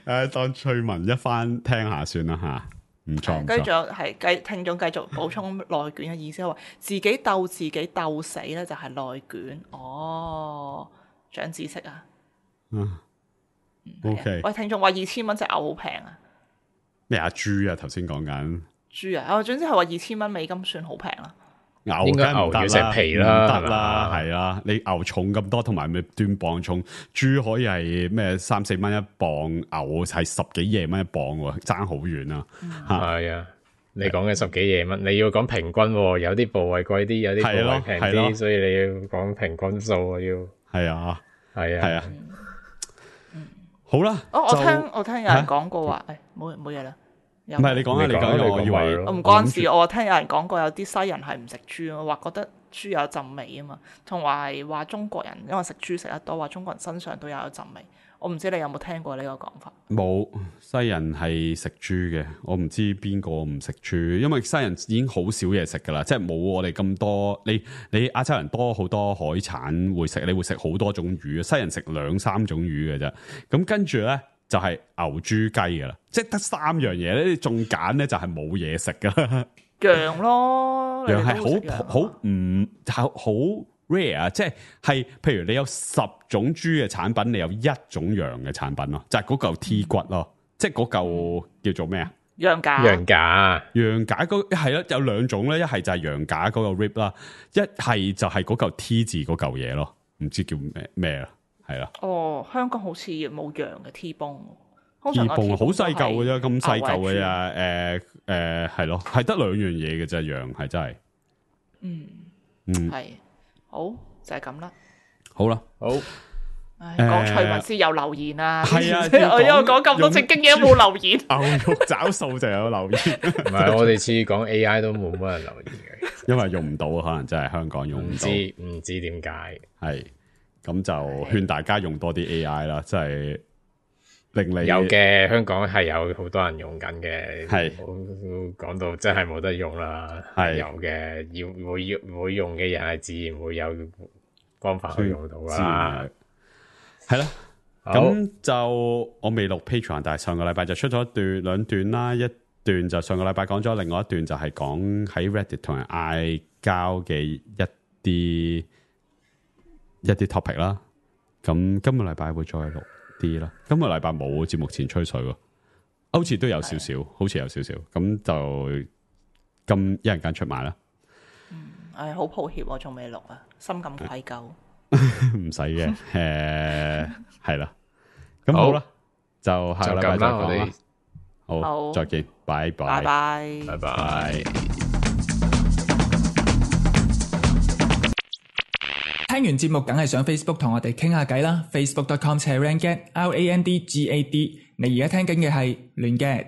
誒，當趣聞一番聽下算啦吓。唔錯，跟住係繼聽眾繼續補充內卷嘅意思，話自己鬥自己鬥死咧就係內卷。哦，長知識啊！嗯，OK。喂，聽眾話二千蚊隻牛好平啊！咩啊？豬啊？頭先講緊豬啊！哦，總之係話二千蚊美金算好平啦。牛應該牛要食皮啦，得啦，係啦。你牛重咁多，同埋咪斷磅重，豬可以係咩三四蚊一磅，牛係十幾廿蚊一磅喎，爭好遠啊！係啊，你講嘅十幾廿蚊，你要講平均，有啲部位貴啲，有啲部位平啲，所以你要講平均數啊，要係啊，係啊，係啊。好啦，我我聽我聽有人講過話，誒，冇冇嘢啦。唔係你講啊，你講，我以為我唔關事。我聽有人講過，有啲西人係唔食豬咯，話覺得豬有陣味啊嘛，同埋話中國人因為食豬食得多，話中國人身上都有一陣味。我唔知你有冇聽過呢個講法？冇，西人係食豬嘅，我唔知邊個唔食豬，因為西人已經好少嘢食噶啦，即係冇我哋咁多。你你亞洲人多好多海產會食，你會食好多種魚，西人食兩三種魚嘅啫。咁跟住咧。就係牛豬雞噶啦，即係得三樣嘢咧，你仲揀咧就係冇嘢食噶啦。羊咯，羊係好好唔好好 rare 啊！即係係，譬如你有十種豬嘅產品，你有一種羊嘅產品咯，就係嗰嚿 T 骨咯，嗯、即係嗰嚿叫做咩啊？羊架，羊架，羊架嗰係咯，有兩種咧，一係就係羊架嗰個 rib 啦，一係就係嗰嚿 T 字嗰嚿嘢咯，唔知叫咩咩啦。係啦，哦，香港好似冇羊嘅 T-bone， T 泵好細嚿嘅啫，咁細嚿嘅咋？誒誒，係咯，係得兩樣嘢嘅啫，羊係真係，嗯嗯，係好就係咁啦，好啦，好，講趣聞先有留言啊，係啊，我因為講咁多正經嘢冇留言，牛肉找數就有留言，唔係我哋次講 A I 都冇乜人留言嘅，因為用唔到，可能真係香港用唔到，唔知唔知點解係。咁就勸大家用多啲 A I 啦，即係令你有嘅，香港係有好多人用緊嘅，係講到真係冇得用啦，係有嘅，要會要會用嘅人係自然會有方法去用到啦，係啦。咁就我未錄 Patreon， 但係上個禮拜就出咗一段兩段啦，一段就上個禮拜講咗，另外一段就係講喺 Reddit 同人嗌交嘅一啲。一啲 topic 啦，咁今個禮拜會再錄啲啦。今個禮拜冇節目前吹水喎，好似都有少少，好似有少少，咁就咁一陣間出埋啦。嗯，誒，好抱歉，我仲未錄啊，深感愧疚。唔使嘅，誒，係啦，咁好啦，就下個禮拜再講啦。好，再見，拜拜，拜拜，拜拜。聽完節目梗係上 Facebook 同我哋傾下偈啦 ，facebook dot com slash randgad L A N D G A D。你而家聽緊嘅係亂 gad。